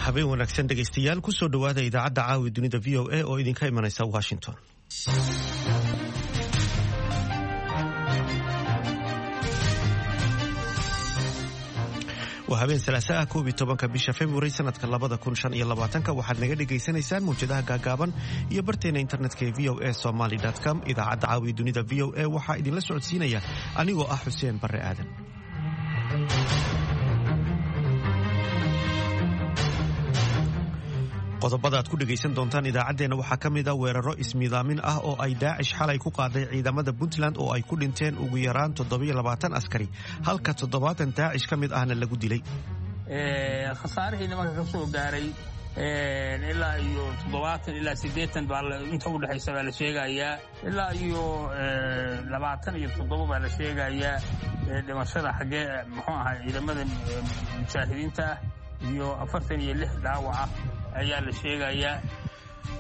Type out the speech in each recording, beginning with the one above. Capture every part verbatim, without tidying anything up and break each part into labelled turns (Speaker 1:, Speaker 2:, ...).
Speaker 1: Habeen wanaagsan, dhegaystayaal. Kusoo dhowaada idaacadda Caawi Dunida V O A oo idinka imanaysa Washington. Waa habeen Salaasa ah, koob iyo tobanka bisha February, sanadka labada kun shan iyo labaatanka. Waxaad naga dhagaysanaysaan mawjadaha gaagaaban iyo barteena internetka ee V O A Somaly com. Idaacadda Caawi Dunida V O A waxaa idinla socodsiinaya anigoo ah Xuseen Barre Aadan. Qodobada aad ku dhegaysan doontaan idaacaddeenna waxaa ka mid ah weeraro ismiidaamin ah oo ay Daacish xalay ku qaaday ciidamada Puntland oo ay ku dhinteen ugu yaraan toddobiyo labaatan askari, halka toddobaatan Daacish ka mid ahna lagu dilay.
Speaker 2: Khasaarihii nimanka ka soo gaaray ilaa iyo toddobaatan ilaa siddeetan baa inta u dhexaysa baa la sheegayaa, ilaa iyo labaatan iyo toddoba baa la sheegayaa dhimashada xaggee, muxuu ahaa, ciidamada mujaahidiinta ah, iyo afartan iyo lix dhaawac ah ayaa la sheegayaa.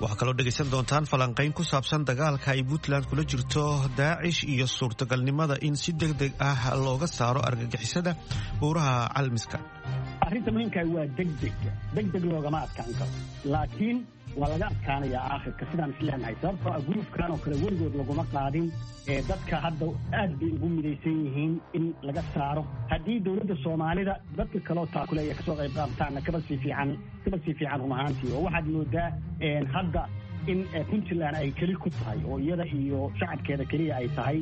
Speaker 1: Waxaa kaloo dhegaysan doontaan falanqayn ku saabsan dagaalka ay Puntland kula jirto Daacish iyo suurtagalnimada in si deg deg ah looga saaro argagixisada buuraha Calmiska.
Speaker 3: Arrinta muhiimkaa waa degdeg. Degdeg loogama adkaan karo, laakiin waa laga adkaanayaa aakhirka, sidaan isleenahay, sababtoo ah gulufkan oo kale weligood laguma qaadin. Ee dadka hadda aad bay ugu midaysan yihiin in laga saaro. Haddii dowladda Soomaalida dadka kaloo taakuleeya kasoo qayb qaabtaana, kaba sii fiican, kaba sii fiican run ahaantii. Oo waxaad moodaa hadda in Puntland ay keli ku tahay oo iyada iyo shacabkeeda keliya ay tahay.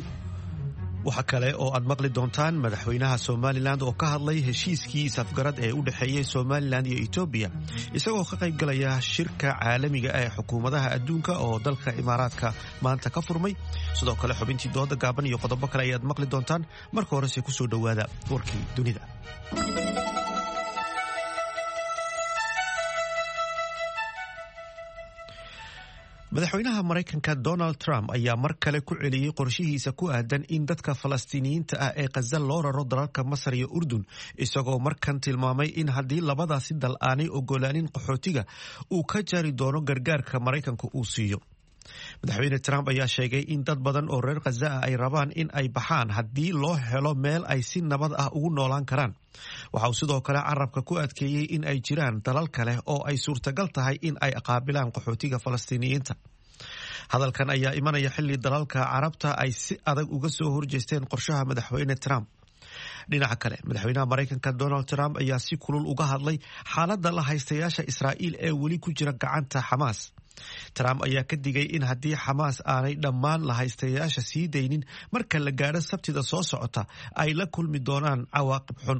Speaker 1: Waxa kale oo aad maqli doontaan madaxweynaha Somaliland oo ka hadlay heshiiskii isafgarad ee u dhexeeyey Somaliland iyo Etoobiya, isagoo ka qaybgalaya shirka caalamiga ee xukuumadaha adduunka oo dalka Imaaraadka maanta ka furmay. Sidoo kale xubintii dooda gaaban iyo qodobo kale ayaad maqli doontaan. Marka horese kusoo dhowaada warkii dunida. Madaxweynaha Maraykanka Donald Trump ayaa mar kale ku celiyey qorshihiisa ku aadan in dadka Falastiiniyiinta ah ee Khaza loo raro dalalka Masar iyo Urdun, isagoo markan tilmaamay in haddii labadaasi dal aanay ogolaanin qaxootiga, uu ka jari doono gargaarka Maraykanka uu siiyo. Madaxweyne Trump ayaa sheegay in dad badan oo reer Khaza ah ay rabaan in ay baxaan haddii loo helo meel ay si nabad ah ugu noolaan karaan. Waxa uu sidoo kale carabka ku adkeeyey in ay jiraan dalal kale oo ay suurtagal tahay in ay qaabilaan qaxootiga Falastiiniyiinta. Hadalkan ayaa imanaya xilli dalalka Carabta ay si adag uga soo horjeesteen qorshaha madaxweyne Trump. Dhinaca kale, madaxweynaha Maraykanka Donald Trump ayaa si kulul uga hadlay xaaladda la haystayaasha Israa'iil ee weli ku jira gacanta Xamaas. Trump ayaa ka digay in haddii Xamaas aanay dhammaan lahaystayaasha sii daynin marka la gaadho Sabtida soo socota, ay la kulmi doonaan cawaaqib xun.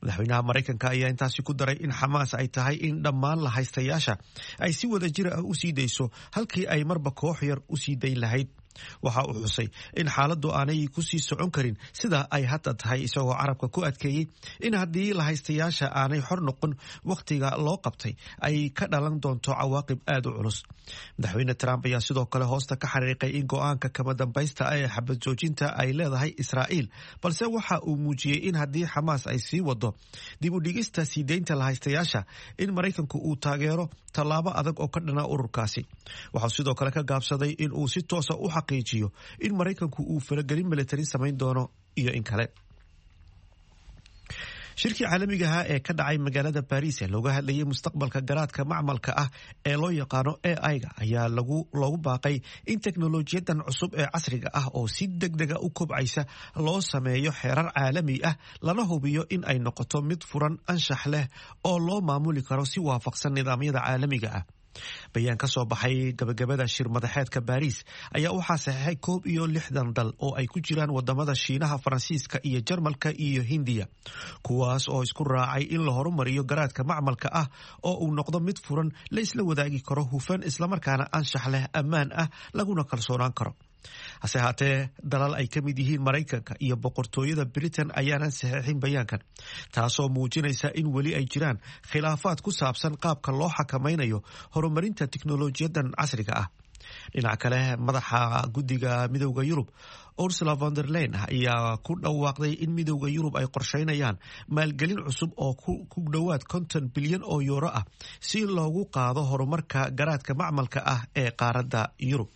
Speaker 1: Madaxweynaha Maraykanka ayaa intaasi ku daray in Xamaas ay tahay in dhammaan lahaystayaasha ay si wada jir ah u sii dayso, halkii ay marba koox yar u sii dayn lahayd. Waxa uu xusay in xaaladdu aanay ku sii socon karin sida ay hadda tahay, isagoo carabka ku adkeeyey in haddii lahaystayaasha aanay xor noqon wakhtiga loo qabtay, ay ka dhalan doonto cawaaqib aad u culus. Madaxweyne Trump ayaa sidoo kale hoosta ka xariiqay in go'aanka kama dambaysta ah ee xabad joojinta ay leedahay Israa'iil, balse waxa uu muujiyey in haddii Xamaas ay sii wado dib u dhigista sii deynta lahaystayaasha, in Maraykanku uu taageero tallaabo adag oo ka dhana ururkaasi. Waxau sidoo kale ka gaabsaday in uu si toosa u xaqiijiyo in Maraykanku uu faragelin militari samayn doono iyo in kale. Shirkii caalamiga ahaa ee ka dhacay magaalada Baris ee looga hadlayay mustaqbalka garaadka macmalka ah ee loo yaqaano A I-ga ayaa loogu baaqay in teknolojiyadan cusub ee casriga ah oo si deg dega u kobcaysa loo sameeyo xeerar caalami ah, lana hubiyo in ay noqoto mid furan, anshax leh oo loo maamuli karo si waafaqsan nidaamyada caalamiga ah. Bayaan ka soo baxay gabagabada shir madaxeedka Baariis ayaa waxaa saxeexay koob iyo lixdan dal oo ay ku jiraan wadamada Shiinaha, Faransiiska iyo Jarmalka iyo Hindiya, kuwaas oo isku raacay in la horumariyo garaadka macmalka ah oo uu noqdo mid furan, la isla wadaagi karo, hufan, islamarkaana anshax leh, ammaan ah, laguna kalsoonaan karo. Hase haatee, dalal ay ka mid yihiin Maraykanka iyo Boqortooyada Britain ayaanan saxeexin bayaankan, taasoo muujinaysa in weli ay jiraan khilaafaad ku saabsan qaabka loo xakamaynayo horumarinta tiknolojiyadan casriga ah. Dhinaca kale, madaxa guddiga Midowda Yurub Ursula von der Leyen ayaa ku dhawaaqday in Midowda Yurub ay qorsheynayaan maalgelin cusub oo ku dhowaad konton bilyan oo yuuro ah si loogu qaado horumarka garaadka macmalka ah ee qaaradda Yurub.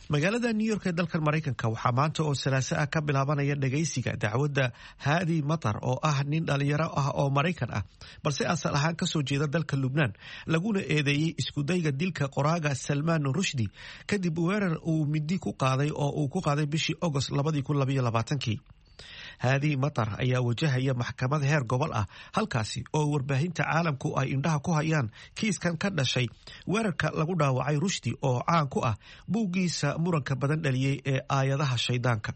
Speaker 1: Magaalada New York ee dalkan Maraykanka waxaa maanta oo salaaso ah ka bilaabanaya dhagaysiga dacwadda Haadi Matar oo ah nin dhalinyaro ah oo Maraykan ah balse asal ahaan kasoo jeeda dalka Lubnaan, laguna eedeeyey iskudayga dilka qoraaga Salmaan Rushdi kadib weerar uu midi ku qaaday oo uu ku qaaday bishii Agost labadii kun labayo labaatankii. Haadi Matar ayaa wajahaya maxkamad heer gobol ah, halkaasi oo warbaahinta caalamku ay indhaha ku hayaan kiiskan ka dhashay weerarka lagu dhaawacay Rushdi oo caan ku ah buuggiisa muranka badan dhaliyey ee Aayadaha Shaydaanka.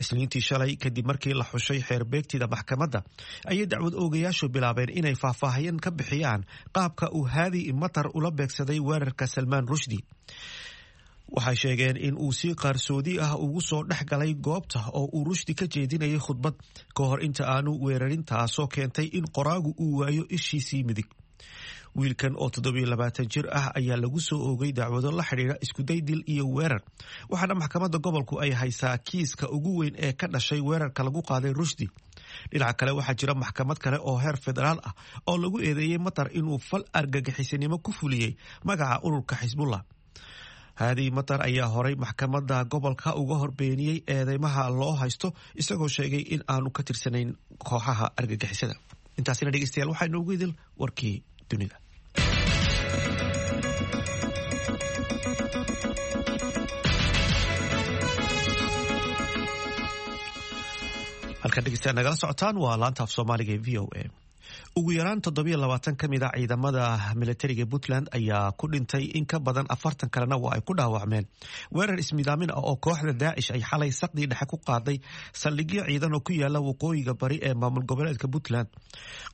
Speaker 1: Isniintii shalay, kadib markii la xushay xeerbeegtida maxkamadda, ayay dacwad oogayaashu bilaabeen inay faahfaahin ka bixiyaan qaabka uu Haadi Matar ula beegsaday weerarka Salmaan Rushdi. Waxay sheegeen in uu si qaarsoodi ah ugu soo dhex galay goobta oo uu Rushdi ka jeedinayay khudbad ka hor inta aanu weerarin, taasoo keentay in qoraagu uu waayo ishiisii midig. Wiilkan oo toddobiyo labaatan jir ah ayaa lagu soo oogay dacwado la xidhiidha iskuday dil iyo weerar, waxaana maxkamadda gobolku ay haysaa kiiska ugu weyn ee ka dhashay weerarka lagu qaaday Rushdi. Dhinaca kale, waxaa jira maxkamad kale oo heer federaal ah oo lagu eedeeyey Matar inuu fal argagixisinimo ku fuliyey magaca ururka Xisbullah. Haadi Matar ayaa horay maxkamadda gobolka uga hor beeniyey eedeymaha loo haysto, isagoo sheegay in aanu ka tirsanayn kooxaha argagixisada. Intaasina, dhegeystayaal, waxaa inoogu idil warkii dunida. Halkan, dhegeystayaal, nagala socotaan waa laanta af Soomaaliga ee V O A. Ugu yaraan toddobiyo labaatan ka mid a ciidamada militariga Puntland ayaa ku dhintay, in ka badan afartan kalena waa ay ku dhaawacmeen weerar ismidaamin ah oo kooxda Daacish ay xalay saqdii dhexe ku qaaday saldhigyo ciidan oo ku yaala waqooyiga bari ee maamul goboleedka Puntland.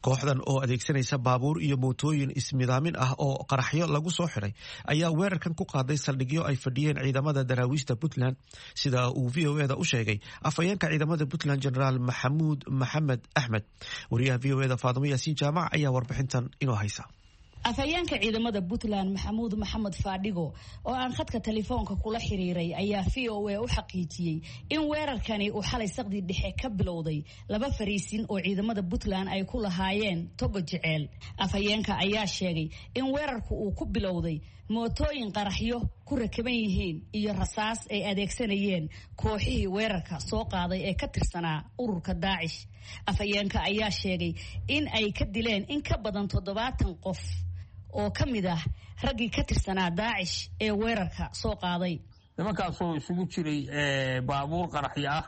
Speaker 1: Kooxdan oo adeegsanaysa baabuur iyo mootooyin ismidaamin ah oo qaraxyo lagu soo xiray ayaa weerarkan ku qaaday saldhigyo ay fadhiyeen ciidamada daraawiishta Puntland, sida uu V O eda u sheegay afhayeenka ciidamada Puntland, Generaal Maxamuud Maxamed Axmed. Wariyaha V O eda Faadimo Yaasiin Jaamac ayaa warbixintan inoo haysa.
Speaker 4: Afhayeenka ciidamada Puntland, Maxamuud Maxamed Faadhigo, oo aan khadka telefoonka kula xiriiray, ayaa V O A u xaqiijiyey in weerarkani uu xalay saqdii dhexe ka bilowday laba fariisin oo ciidamada Puntland ay ku lahaayeen Togo Jeceel. Afhayeenka ayaa sheegay in weerarku uu ku bilowday mootooyin qaraxyo ku rakaban yihiin iyo rasaas ay adeegsanayeen kooxihii weerarka soo qaaday ee ka tirsanaa ururka Daacish. Afhayeenka ayaa sheegay in ay ka dileen in ka badan toddobaatan qof oo ka mid ah raggii ka tirsanaa Daacish ee weerarka soo qaaday.
Speaker 2: Nimankaasoo isugu jiray baabuur qaraxyo ah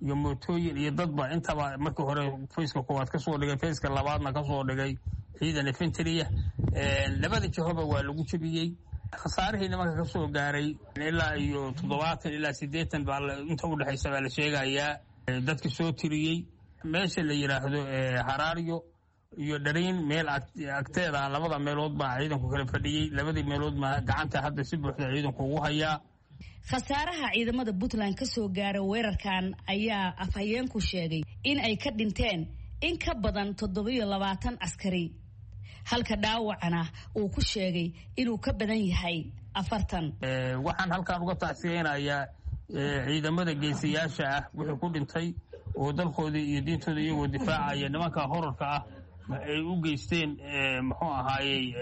Speaker 2: iyo mootooyin iyo dadba intaba, markii hore faceka koowaad kasoo dhigay, faceka labaadna kasoo dhigay ciidan infantry-ya, labada jihoba waa lagu jebiyey. Khasaarihii nimanka kasoo gaaray ilaa iyo toddobaatan ilaa siddeetan baa inta udhexaysa baa la sheegayaa dadka soo tiriyey. Meesha la yidhaahdo Haraaryo iyo Dhariin meel agteeda, labada meelood baa ciidanku kala fadhiyey. Labadii meelood ma gacanta hadda si buuxda ciidanku ugu hayaa.
Speaker 4: Khasaaraha ciidamada Puntland ka soo gaara weerarkan ayaa afhayeenku sheegay in ay ka dhinteen in ka badan toddobiyo labaatan askari, halka dhaawacana uu ku sheegay inuu ka badan yahay afartan.
Speaker 2: Waxaan halkaan uga tacsiyeynayaa ciidamada geesiyaasha ah wixii ku dhintay oo dalkoodii iyo diintooda iyagoo difaacaya nimanka horarka ah ay u geysteen. Muxuu ahaayey,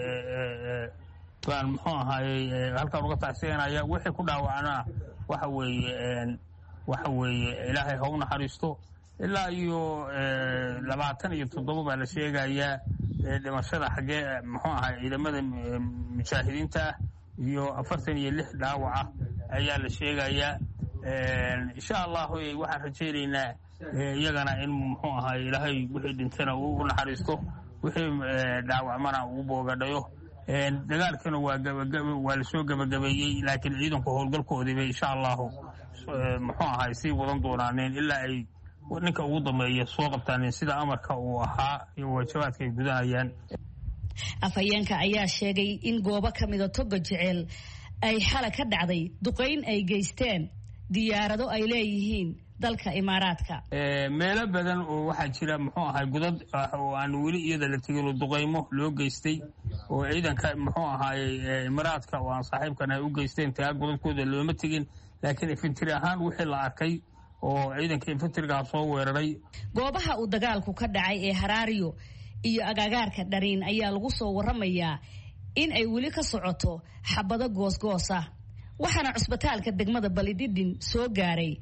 Speaker 2: baan muxuu ahaayey halkaan uga tacsiyanaya. Wixii ku dhaawacnaa waxa weeye waxa weeye Ilaahay ha u naxariisto. Ilaa iyo labaatan iyo toddoba baa la sheegayaa dhimashada xaggee muxuu ahaay ciidamada mujaahidiinta ah, iyo afartan iyo lix dhaawaca ayaa la sheegayaa. Insha Allahu waxaan rajaynaynaa iyagana in muxuu ahaay Ilaahay wixii dhintana uu u naxariisto, wixii dhaawacmana uu boogadhayo. Dagaalkana waa waa lasoo gebagabeeyey, laakiin ciidanku howlgalkoodiibay insha Allahu muxuu ahaay sii wadan doonaaneen ilaa ay ninka ugu dambeeya soo qabtaaneen, sida amarka uu ahaa iyo waajabaadka ay gudanayaan.
Speaker 4: Afhayeenka ayaa sheegay in goobo ka mida Toga Jeceel ay xala ka dhacday duqayn ay geysteen diyaarado ay leeyihiin dalka Imaaraadka.
Speaker 2: Meelo badan oo waxaa jira muxuu ahay godad oo aan weli iyada la tegin oo duqaymo loo geystay oo ciidanka muxuu ahaayey Imaaraadka oo aan saaxiibkan ay u geysteen. Taa godadkooda looma tegin, laakiin infantry ahaan wixii la arkay oo ciidanka infantrygaa soo weeraray.
Speaker 4: Goobaha uu dagaalku ka dhacay ee Haraariyo iyo agagaarka Dhariin ayaa lagu soo waramayaa in ay weli ka socoto xabado goosgoosa. Waxaana cusbitaalka degmada Balidhidhin soo gaaray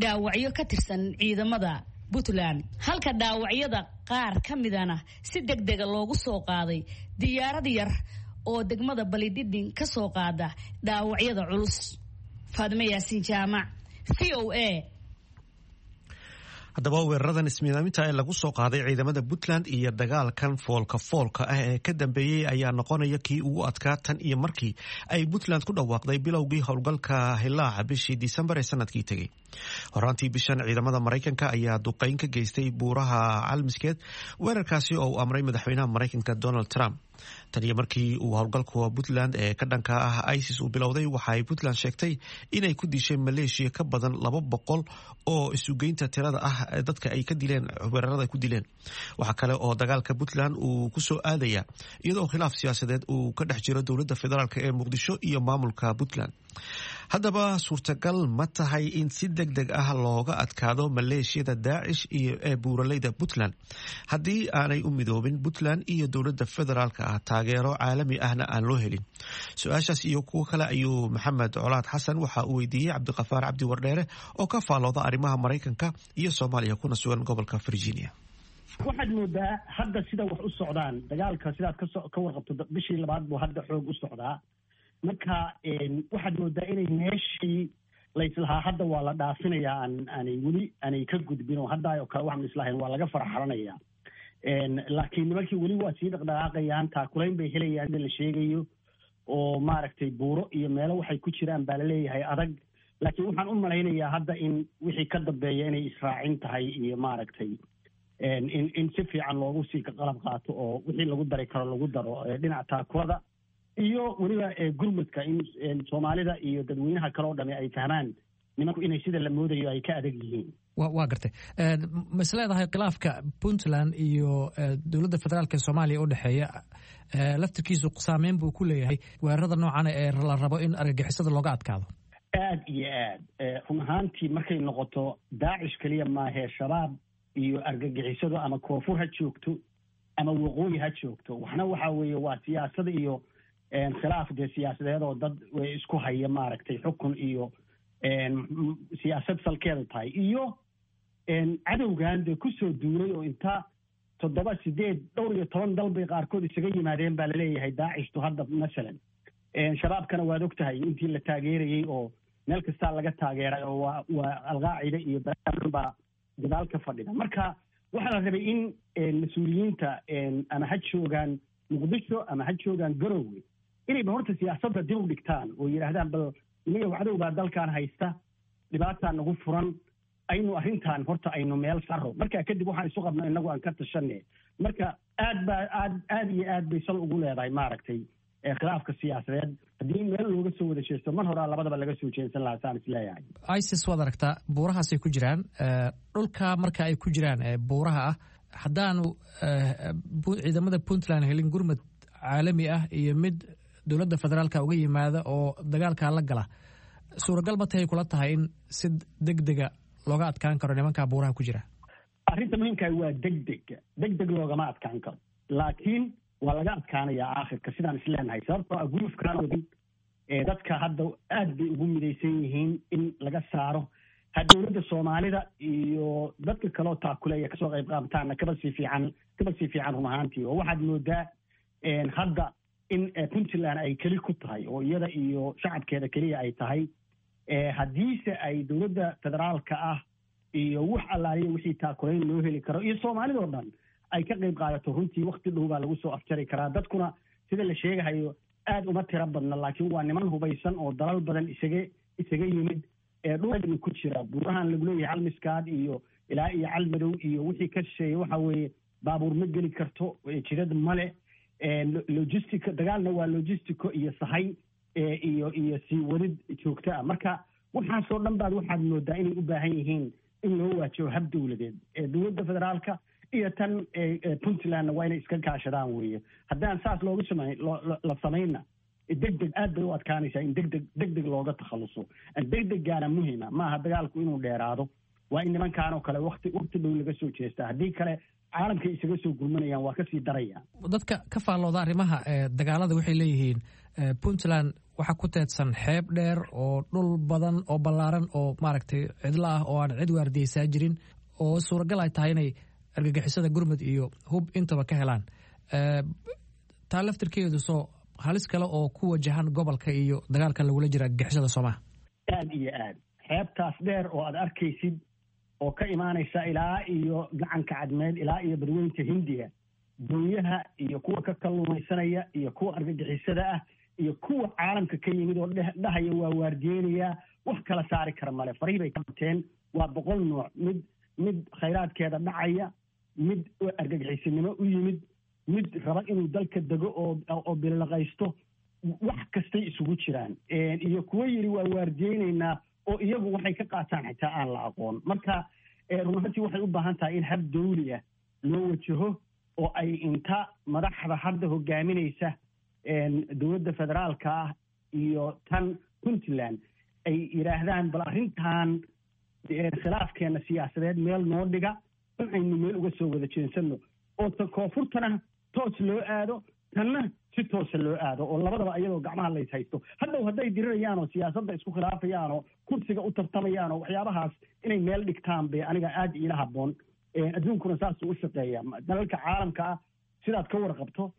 Speaker 4: dhaawacyo ka tirsan ciidamada Puntland, halka dhaawacyada qaar ka midana si deg dega loogu soo qaaday diyaarad yar oo degmada Balidhidhin ka soo qaada dhaawacyada culus. Faadime Yaasiin Jaamac, V O A.
Speaker 1: Haddaba weeraradan ismiidaaminta ee lagu soo qaaday ciidamada Puntland iyo dagaalkan foolka foolka ah ee ka dambeeyey ayaa noqonaya kii ugu adkaa tan iyo markii ay Puntland ku dhawaaqday bilowgii howlgalka Hilaaca bishii Disembar ee sanadkii tegey. Horaantii bishan ciidamada Maraykanka ayaa duqeyn ka geystay buuraha Calmiskeed, weerarkaasi oo uu amray madaxweynaha Maraykanka Donald Trump. Tan iyo markii uu howlgalka Puntland ee ka dhanka ah ISIS uu bilowday, waxa ay Puntland sheegtay inay ku dishay maleeshiya ka badan laba boqol oo isugeynta tirada ah dadka ay ka dileen weerarada ku dileen. Waxaa kale oo dagaalka Puntland uu ku soo aadaya iyadoo khilaaf siyaasadeed uu ka dhex jiro dowladda federaalk ee Muqdisho iyo maamulka Puntland. Haddaba suurtagal ma tahay in si deg deg ah looga adkaado maleeshiyada Daacish iyo ee buuraleyda Puntland haddii aanay u midoobin Puntland iyo dowladda federaalka ah, taageero caalami ahna aan loo helin? Su-aashaas iyo kuwo kale ayuu Maxamed Colaad Xasan waxa uu weydiiyey Cabdiqafaar Cabdi Wardheere oo ka faalooda arrimaha Maraykanka iyo Soomaaliya kuna sugan gobolka Virginia.
Speaker 3: Waxaad moodaa hadda sida wax u socdaan dagaalka, sidaad kaso ka warqabto, bishii labaad buu hadda xoog u socdaa. Marka waxaad moodaa inay meeshii layslahaa hadda waa la dhaafinayaa aan aanay weli aanay ka gudbin, oo hadda oo kale waxaan islahayn waa laga farxalanayaa, laakiin nimankii weli waa sii dhaqdhaqaaqayaan, taakulayn bay helayaan sida la sheegayo, oo maaragtay buuro iyo meelo waxay ku jiraan baa laleeyahay adag. Laakiin waxaan u malaynayaa hadda in wixii ka dambeeya inay israacin tahay iyo maaragtay in in si fiican loogu sii qalab qaato oo wixii lagu dari karo lagu daro dhinaca taakulada iyo weliba gurmudka, in Soomaalida iyo dadweynaha kale oo dhami ay fahmaan nimanku inay sida la moodayo ay ka adag yihiin.
Speaker 5: Waa gartay. Ma is leedahay khilaafka Puntland iyo dowladda federaalk ee Soomaaliya u dhexeeya laftirkiisu saameyn buu ku leeyahay weerarada noocan ee la rabo in argagixisada looga adkaado?
Speaker 3: Aad iyo aad. Run ahaantii markay noqoto Daacish keliya maahee, Shabaab iyo argagixisadu ama koonfur ha joogto ama waqooyi ha joogto, waxna waxa weeye waa siyaasada iyo khilaaf dee siyaasadeed oo dad isku haya maaragtay xukun iyo siyaasad salkeeda tahay, iyo cadowgan dee kusoo duulay oo inta toddoba, sideed, dhowr iyo toban dal bay qaarkood isaga yimaadeen baa laleeyahay Daacishtu hadda masalan. Shabaabkana waad og tahay intii la taageerayey oo meel kastaa laga taageeray oo waa waa Alqaacida iyo balaa baa gadaal ka fadhida. Marka waxaa la rabay in mas-uuliyiinta ama ha joogaan Muqdisho ama ha joogaan Garowe inayba horta siyaasadda dib u dhigtaan oo yidhaahdaan bal inaga cadow baa dalkan haysta, dhibaataa nagu furan, aynu arrintan horta aynu meel saro, marka kadib waxaan isu qabno inagu aan ka tashanne. Marka aad baa aad aad iyo aad bay sal ugu leedahay maaragtay khilaafka siyaasadeed. Haddii meel looga soo wada jeesto, mar horaa labadaba laga soo jeedsan lahaa saan isleeyahay.
Speaker 5: ISIS waad aragtaa buurahaasay ku jiraan. Dhulka marka ay ku jiraan buuraha ah, haddaanu ciidamada Puntland helin gurmad caalami ah iyo mid dowladda federaalka uga yimaada oo dagaalkaa la gala, suuragal ma tahay kula tahay in si deg dega looga adkaan karo nimankaa buuraha ku jira?
Speaker 3: Arrinta muhiimkaa waa degdega. Deg deg loogama adkaan karo, laakiin waa laga adkaanayaa aakhirka sidaan isleenahay, sababtoo ah gulufkaan wadin dadka hadda aad bay ugu midaysan yihiin in laga saaro. Ha dowladda Soomaalida iyo dadka kaloo taakuleeya kasoo qayb qaabtaana kaba sii fiican, kaba sii fiican run ahaantii. Oo waxaad moodaa hadda in Puntland ay keli ku tahay oo iyada iyo shacabkeeda keliya ay tahay. Haddiise ay dowladda federaalka ah iyo wax allaaliya wixii taakulayn loo heli karo iyo Soomaalidoo dhan ay ka qayb qaadato, runtii wakti dhow baa lagu soo afjari karaa. Dadkuna sida la sheegahayo aad uma tiro badna, laakiin waa niman hubaysan oo dalal badan isaga isaga yimid ee dhul ku jira buurahan lagu leeyahay Calmiskaad iyo ilaa iyo Calmadow iyo wixii ka shisheeye. Waxa weeye baabuur ma geli karto, jidad male, logistico dagaalna waa logistico iyo sahay iyo iyo sii wadid joogto ah. Marka waxaasoo dhan baad waxaad moodaa inay u baahan yihiin in loo waajaho hab dowladeed. Dowladda federaalka iyo tan Puntlandna waa inay iska kaashadaan weeye. Haddaan saas loogu samayn la samaynna, deg deg aad bay u adkaanaysaa in degdeg deg deg looga takhaluso. Degdegaana muhima maaha dagaalku inuu dheeraado, waa in nimankaanoo kale wakti wakti dhow laga soo jeestaa, haddii kale caalamkay isaga soo gurmanayaan, waa kasii darayaan.
Speaker 5: Dadka ka faallooda arrimaha dagaalada waxay leeyihiin Puntland Waxaa ku teedsan xeeb dheer oo dhul badan oo ballaaran oo maaragtay cidlo ah oo aan cid waardiyeysaa jirin, oo suuragal ay tahay inay argagixisada gurmud iyo hub intaba ka helaan. Taa laftirkeedu soo halis kale oo ku wajahan gobolka iyo dagaalka lagula jira argagixisada soomaha?
Speaker 3: Aad iyo aad. Xeebtaas dheer oo aad arkaysid oo ka imaanaysa ilaa iyo Gacanka Cadmeed ilaa iyo Badweynta Hindiya, doonyaha iyo kuwa ka kalluumaysanaya iyo kuwa argagixisada ah iyo kuwa caalamka ka yimid oo dhahaya waa waardiyeynayaa, wax kala saari kara male. Farihii bay ka bateen. Waa boqol nooc: mid mid khayraadkeeda dhacaya, mid argagixisinimo u yimid, mid raba inuu dalka dego oo oo bililaqaysto, wax kastay isugu jiraan, iyo kuwo yidhi waa waardiyeynaynaa oo iyagu waxay ka qaataan xitaa aan la aqoon. Marka run ahantii waxay u baahan tahay in hab dawli ah loo wajaho oo ay inta madaxda hadda hogaaminaysa dowladda federaalka ah iyo tan Puntland ay yidhaahdaan, bal arrintan khilaafkeena siyaasadeed meel noo dhiga, in aynu meel uga soo wada jeensano, oo ta koonfurtana toos loo aado, tanna si toosa loo aado, oo labadaba iyadoo gacmaha lays haysto. Hadhow hadday dirirayaan oo siyaasadda isku khilaafayaan oo kursiga u tartamayaan oo waxyaabahaas inay meel dhigtaan bay aniga aada iila habboon. Adduunkuna saasuu u shaqeeya. Dalalka caalamka ah sidaad ka warqabto,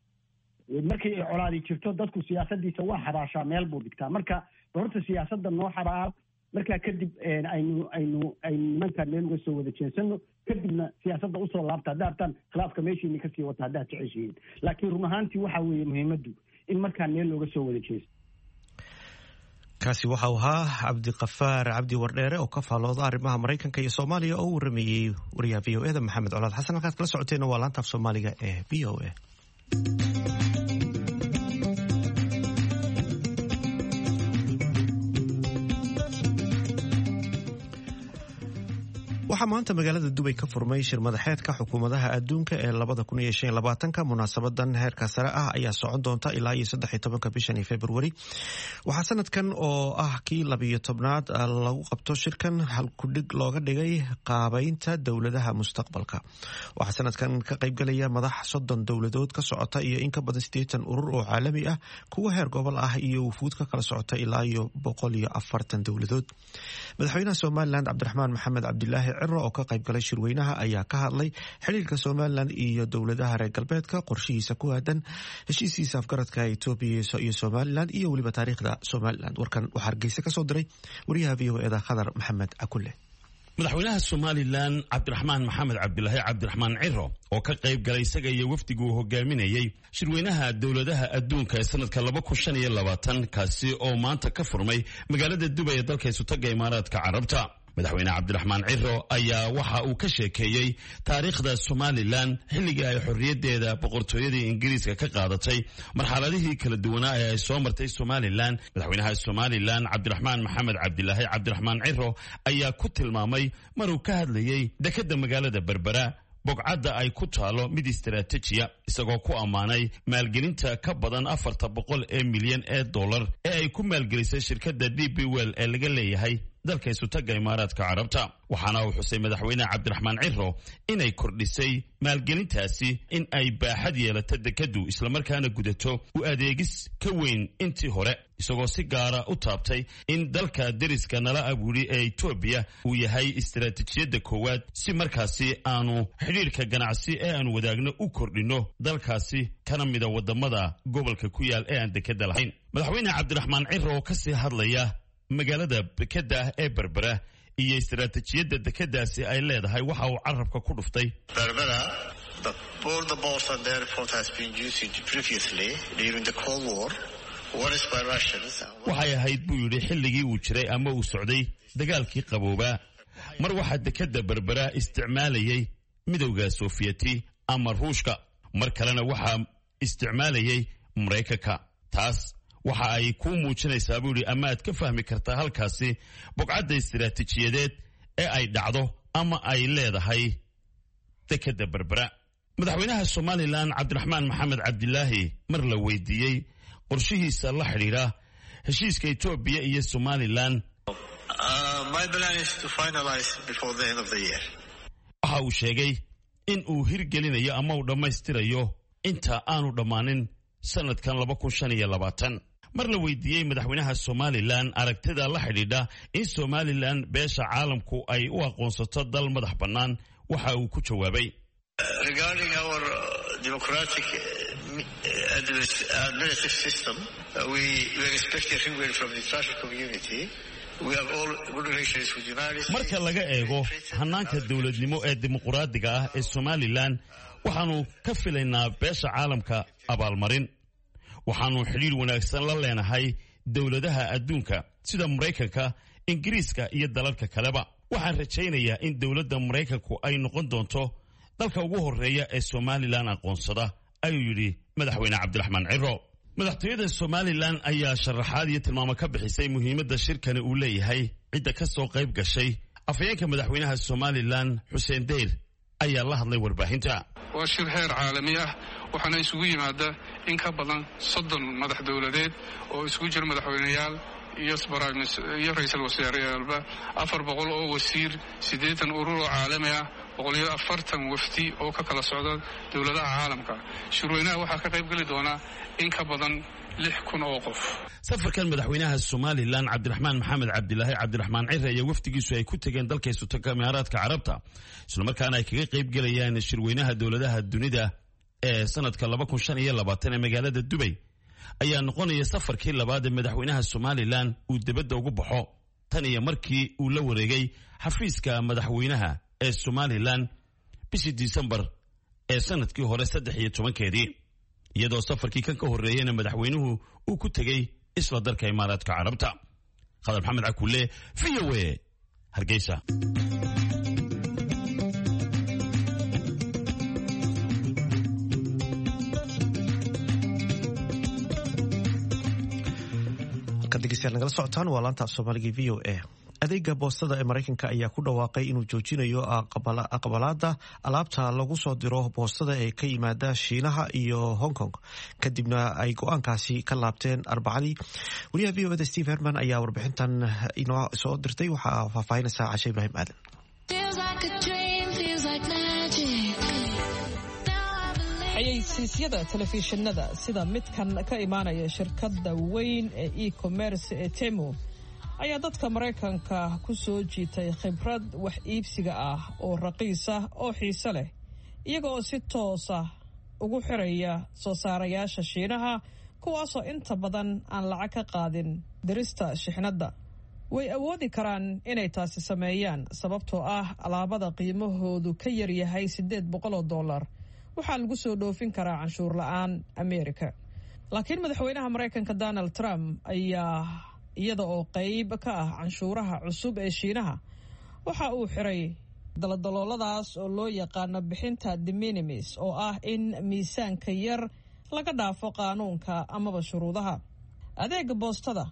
Speaker 3: markay ay colaadi jirto dadku siyaasadiisa waa xabaashaa, meel buu dhigtaa. Marka horta siyaasadda noo xabaal, markaa kadib aynu aynu aynu nimankaan meel uga soo wada jeensano, kadibna siyaasadda usoo laabta haddaa rabtaan, khilaafka meeshiini kasii wata haddaad jeceshihiin. Laakiin run ahaantii waxaa weeye muhiimaddu in markaan meel looga soo wada jeesto.
Speaker 1: Kaasi waxau ahaa Cabdiqafaar Cabdi Wardheere oo ka faallooda arrimaha Maraykanka iyo Soomaaliya oo u warameeyey wariyaha V O E da Maxamed Colaad Xasan. Halkaad kala socoteena waa laanta af Soomaaliga ee V O A. Waxaa maanta magaalada Dubay ka furmay shir madaxeedka xukuumadaha adduunka ee labada kun iyo shan iyo labaatanka. Munaasabadan heerka sare ah ayaa socon doonta ilaa iyo saddex iyo tobanka bishan Februari. Waxaa sanadkan oo ah kii labiyo tobnaad lagu qabto shirkan halkudhig looga dhigay qaabeynta dowladaha mustaqbalka. Waxaa sanadkan ka qaybgalaya madax soddon dowladood ka socota iyo in ka badan sideetan urur oo caalami ah, kuwa heer gobol ah iyo wufuud ka kala socota ilaa iyo boqol iyo afartan dowladood. Madaxweynaha Somaliland Cabdiraxmaan Maxamed Cabdilaahi Ciro oo ka qaybgalay shirweynaha ayaa ka hadlay xiriirka Somaliland iyo dowladaha reer galbeedka, qorshihiisa ku aadan heshiisiisa afgaradka Etoobiya iyo Somaliland iyo weliba taariikhda Somaliland. Warkan waxaa Hargeysa kasoo diray wariyaha V O E da Khadar Maxamed Akule.
Speaker 6: Madaxweynaha Somaliland Cabdiraxmaan Maxamed Cabdilaahi Cabdiraxmaan Ciro oo ka qayb galay isaga iyo wafdigu uu hogaaminayey shirweynaha dowladaha adduunka ee sanadka laba kun shan iyo labaatan, kaasi oo maanta ka furmay magaalada Dubay ee dalka Isutaga Imaaraadka Carabta, Madaxweyne Cabdiraxmaan Ciro ayaa waxa uu ka sheekeeyey taariikhda Somaliland xilligii ay xorriyaddeeda boqortooyadii Ingiriiska ka qaadatay, marxaladihii kala duwanaa ee ay soo martay Somaliland. Madaxweynaha Somaliland Cabdiraxmaan Maxamed Cabdilaahi Cabdiraxmaan Ciro ayaa ku tilmaamay maruu ka hadlayey dekedda magaalada Berbera bogcadda ay ku taalo mid istaraatijiya, isagoo ku ammaanay maalgelinta ka badan afarta boqol ee milyan ee dollar ee ay ku maalgelisay shirkadda D P World ee laga leeyahay dalka Isutaga Imaaraadka Carabta. Waxaana uu xusay Madaxweyne Cabdiraxmaan Ciro inay kordhisay maalgelintaasi in ay baaxad yeelato dekadu, islamarkaana gudato u adeegis ka weyn intii hore, isagoo si gaara u taabtay in dalka deriska nala abuuri ee Etoobiya uu yahay istaraatiijiyadda koowaad, si markaasi aanu xidhiirka ganacsi ee aanu wadaagno u kordhinno dalkaasi kana mida wadamada gobolka ku yaal ee aan dekeda lahayn. Madaxweyne Cabdiraxmaan Ciro oo kasii hadlaya magaalada dekeda ah ee Berbera iyo istaraatiijiyadda dekedaasi ay leedahay waxa uu carabka ku dhuftay:
Speaker 7: Berbera, the border port and airport has been used previously during the Cold War. Once by Russians.
Speaker 6: Waxay ahayd, buu yidhi, xilligii uu jiray ama uu socday dagaalkii qaboobaa, mar waxaa dekeda Berbera isticmaalayay Midowda Sofiyeeti ama Ruushka, mar kalena waxaa isticmaalayay Maraykanka. Taas waxa ay kuu muujinaysaa, buu yidhi, ama aad ka fahmi kartaa halkaasi bogcadda istaraatiijiyadeed ee ay dhacdo ama ay leedahay dekeda Berbera. Madaxweynaha Somaliland Cabdiraxmaan Maxamed Cabdilaahi mar la weydiiyey qorshihiisa la xidhiidha heshiiska Etoobiya iyo Somaliland,
Speaker 7: Uh, my plan is to finalize before the end of the year.
Speaker 6: waxa uu sheegay in uu hirgelinayo ama uu dhammaystirayo inta aanu dhammaanin sanadkan laba kun shan iyo labaatan. Mar la weydiiyey madaxweynaha Somalilan aragtida la xidhiidha in Somalilan beesha caalamku ay u aqoonsato dal madax bannaan, waxa uu ku jawaabay:
Speaker 7: Regarding our democratic administrative system, we, we expect a reward from the international community.
Speaker 6: Marka laga eego hannaanka dowladnimo ee dimuquraadiga ah ee Somalilan, waxaannu ka filaynaa beesha caalamka abaalmarin. Waxaannu xidhiir wanaagsan la leenahay dowladaha adduunka sida Maraykanka, Ingiriiska iyo dalalka kaleba. Waxaan rajaynayaa in dowladda Maraykanku ay noqon doonto dalka ugu horreeya ee Somalilan aqoonsada, ayuu yidhi madaxweyne Cabdiraxmaan Ciro. Madaxtooyada Somalilan ayaa sharaxaad iyo tilmaamo ka bixisay muhiimadda shirkani uu leeyahay cidda ka soo qayb gashay. Afhayeenka madaxweynaha Somalilan Xuseen Deyr ayaa la hadlay warbaahinta.
Speaker 8: Waa shir heer caalami ah, waxaana isugu yimaada in ka badan soddon madax dowladeed oo isugu jira madaxweyneyaal iyo iyo ra-iisul wasaareyaalba, afar boqol oo wasiir, siddeetan urur oo caalami ah, boqol iyo afartan wafdi oo ka kala socda dowladaha caalamka. Shirweynaha waxaa ka qayb geli doona in ka badan lix kun oo qof.
Speaker 6: Safarkan madaxweynaha Somalilan Cabdiraxmaan Maxamed Cabdilaahi Cabdiraxmaan Cire iyo wafdigiisu ay ku tegeen dalka Sultanka Imaaraadka Carabta, islamarkaana ay kaga qayb gelayaan shirweynaha dowladaha dunida ee sanadka laba kun shan iyo labaatan ee magaalada Dubay, ayaa noqonaya safarkii labaad ee madaxweynaha Somalilan uu dibadda ugu baxo tan iyo markii uu la wareegay xafiiska madaxweynaha ee Somalilan bishii Disembar ee sanadkii hore saddex iyo tobankeedii, iyadoo safarkii kan ka horreeyeyna madaxweynuhu uu ku tegey isla dalka Imaaraadka Carabta. Khadar Maxamed Cakulle, V O A, Hargeysa.
Speaker 1: Degeystayaal nagala socotaan waa laanta af Soomaaliga V O A. Adeega boostada ee Maraykanka ayaa ku dhawaaqay inuu joojinayo aqbalaada alaabta lagu soo diro boostada ee ka yimaada Shiinaha iyo Hong Kong, kadibna ay go-aankaasi ka laabteen Arbacadii. Wariyaha V O da Steve Herman ayaa warbixintan inoo soo dirtay. Waxaa faahfaahinaysaa Cashe Ibraahim Aadan.
Speaker 9: Xayeysiisyada telefishinada sida midkan ka imaanaya shirkadda weyn ee e-commerce ee Temu ayaa dadka Maraykanka ku soo jiitay khibrad wax iibsiga ah oo raqiis ah oo xiise leh, iyaga oo si toosa ugu xiraya soo saarayaasha Shiinaha, kuwaasoo inta badan aan lacag ka qaadin dirista shixnadda. Way awoodi karaan inay taasi sameeyaan sababtoo ah alaabada qiimahoodu ka yaryahay siddeed boqol oo dollar waxaa lagu soo dhoofin karaa canshuur la-aan Amerika. Laakiin madaxweynaha Maraykanka Donald Trump ayaa iyada oo qayb ka ah canshuuraha cusub ee Shiinaha waxa uu xiray daladalooladaas oo loo yaqaano bixinta de minimis, oo ah in miisaanka yar laga dhaafo qaanuunka amaba shuruudaha. Adeega boostada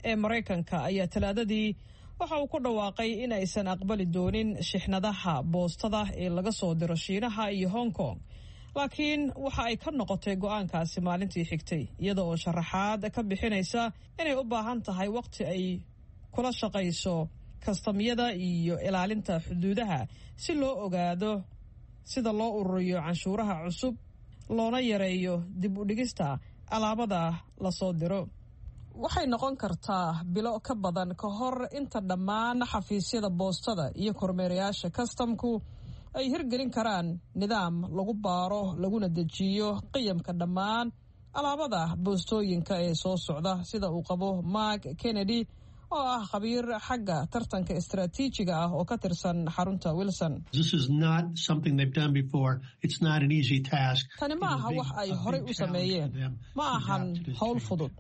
Speaker 9: ee Maraykanka ayaa Talaadadii waxa uu ku dhawaaqay in aysan aqbali doonin shixnadaha boostada ee laga soo diro Shiinaha iyo Hong Kong, laakiin waxa ay ka noqotay go-aankaasi maalintii xigtay, iyada oo sharaxaad ka bixinaysa inay u baahan tahay waqti ay kula shaqayso kastamyada iyo ilaalinta xuduudaha si loo ogaado sida loo ururiyo canshuuraha cusub loona yareeyo dib u dhigista alaabada lasoo diro. Waxay noqon kartaa bilo ka badan ka hor inta dhammaan xafiisyada boostada iyo kormeerayaasha kastamku ay hirgelin karaan nidaam lagu baaro laguna dejiyo qiyamka dhammaan alaabada boostooyinka ee soo socda, sida uu qabo Mark Kennedy oo ah khabiir xagga tartanka istaraatiijiga ah oo ka tirsan xarunta Wilson. Tani ma aha wax ay horay u sameeyeen, ma ahan howl fudud.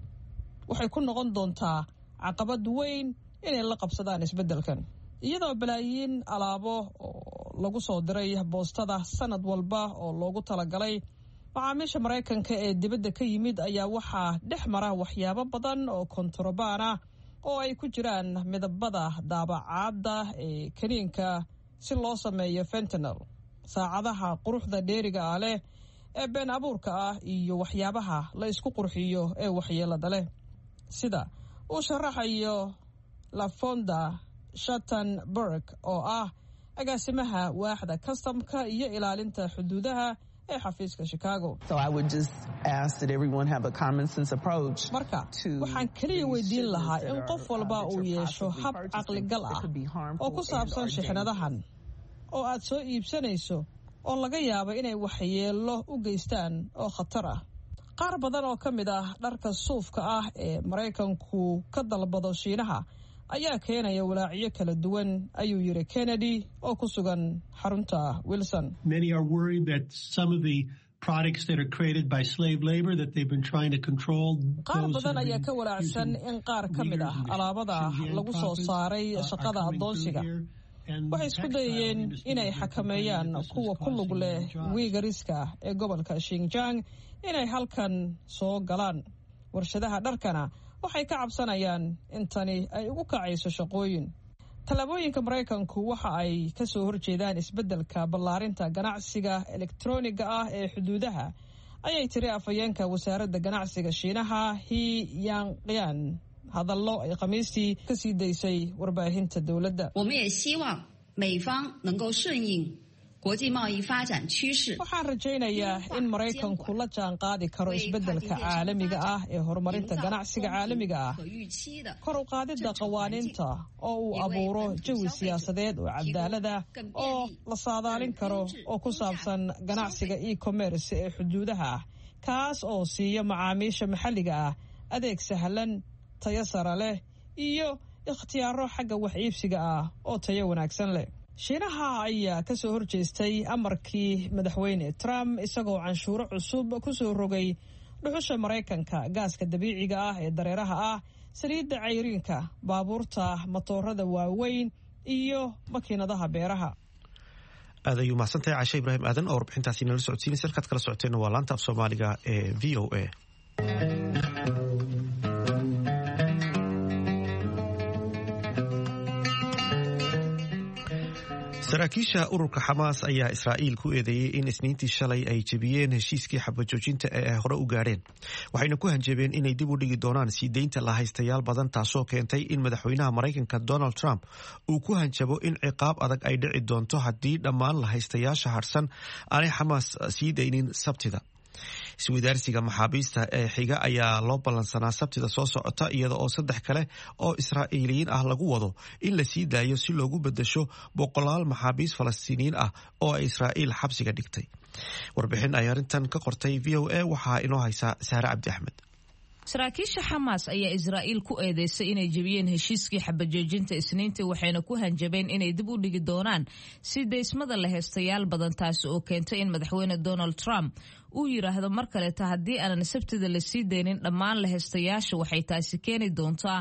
Speaker 9: Waxay ku noqon doontaa caqabad weyn inay la qabsadaan isbeddelkan, iyadoo balaayiin alaabo oo lagu soo diray boostada sanad walba oo loogu talagalay macaamiisha Maraykanka ee dibadda ka yimid ayaa waxaa dhex mara waxyaabo badan oo kontarobaan ah oo ay ku jiraan midabada daabacaadda ee kaniinka si loo sameeyo fentanel, saacadaha quruxda dheeriga ah leh ee been abuurka ah iyo waxyaabaha la isku qurxiyo ee waxyeelada leh, sida uu sharaxayo Lafonda Shattenberg oo ah agaasimaha waaxda kastamka iyo ilaalinta xuduudaha ee xafiiska Chicago. Marka waxaan keliya weydiin lahaa in qof walba uu yeesho hab caqligal ah oo ku saabsan shixnadahan oo aad soo iibsanayso oo laga yaabo inay waxyeello u geystaan oo khatar ah. Qaar badan oo ka mid ah dharka suufka ah ee Maraykanku ka dalbado Shiinaha ayaa keenaya walaacyo kala duwan, ayuu yiri Kennedy oo ku sugan xarunta Wilson. Qaar badan ayaa ka walaacsan in qaar ka mid ah alaabada lagu soo saaray shaqada addoonsiga waxay isku dayayeen inay xakameeyaan kuwa ku lug leh wiigariska ee gobolka Xinjiang inay halkan soo galaan. Warshadaha dharkana waxay ka cabsanayaan in tani ay ugu kacayso shaqooyin. Tallaabooyinka Maraykanku waxa ay ka soo horjeedaan isbeddelka ballaarinta ganacsiga elektroniga ah ee xuduudaha, ayay tiri afhayeenka wasaaradda ganacsiga Shiinaha He Yanqian hadallo ay Khamiistii ka sii daysay warbaahinta dowladda. Waxaan rajaynayaa in Maraykanku la jaan qaadi karo isbeddelka caalamiga ah ee horumarinta ganacsiga caalamiga ah, kor u qaadidda qawaaniinta oo uu abuuro jawi siyaasadeed oo cadaalad ah oo la saadaalin karo oo ku saabsan ganacsiga e-commerce ee xuduudaha ah, kaas oo siiya macaamiisha maxalliga ah adeeg sahlan, tayo sare leh iyo ikhtiyaaro xagga wax iibsiga ah oo tayo wanaagsan leh. Shiinaha ayaa ka soo horjeestay amarkii madaxweyne Trump isagoo canshuuro cusub ku soo rogay dhuxusha Maraykanka, gaaska dabiiciga ah ee dareeraha ah, saliidda cayriinka, baabuurta matoorada waaweyn iyo makiinadaha beeraha.
Speaker 1: Aad ayuu mahadsantahay Cashe Ibraahim Aadan oo warbixintaasi nala socodsiinaysa. Halkaad kala socoteenna waa laanta af Soomaaliga ee V O A. Saraakiisha ururka Xamaas ayaa Israa'iil ku eedeeyey in Isniintii shalay ay jebiyeen heshiiskii xabajoojinta ee ay hore u gaadheen, waxayna ku hanjabeen inay dib u dhigi doonaan sii deynta lahaystayaal badan, taasoo keentay in madaxweynaha Maraykanka Donald Trump uu ku hanjabo in ciqaab adag ay dhici doonto haddii dhammaan lahaystayaasha harsan aanay Xamaas sii daynin Sabtida. Iswadaarsiga maxaabiista ee xiga ayaa loo ballansanaa Sabtida soo socota, iyada oo saddex kale oo Israa'iiliyiin ah lagu wado in la sii daayo si loogu bedesho boqolaal maxaabiis Falastiiniyiin ah oo ay Israa'iil xabsiga dhigtay. Warbixin ay arrintan ka qortay V O A waxaa inoo haysaa Saare Cabdi Axmed.
Speaker 10: Saraakiisha Xamaas ayaa Israa'iil ku eedeysay inay jebiyeen heshiiskii xabajoojinta Isniintii, waxayna ku hanjabeen inay dib u dhigi doonaan si deysmada la heestayaal badan, taasi oo keentay in madaxweyne Donald Trump uu yiraahdo mar kaleeta haddii aanan Sabtida la sii deynin dhammaan la heestayaasha, waxay taasi keeni doontaa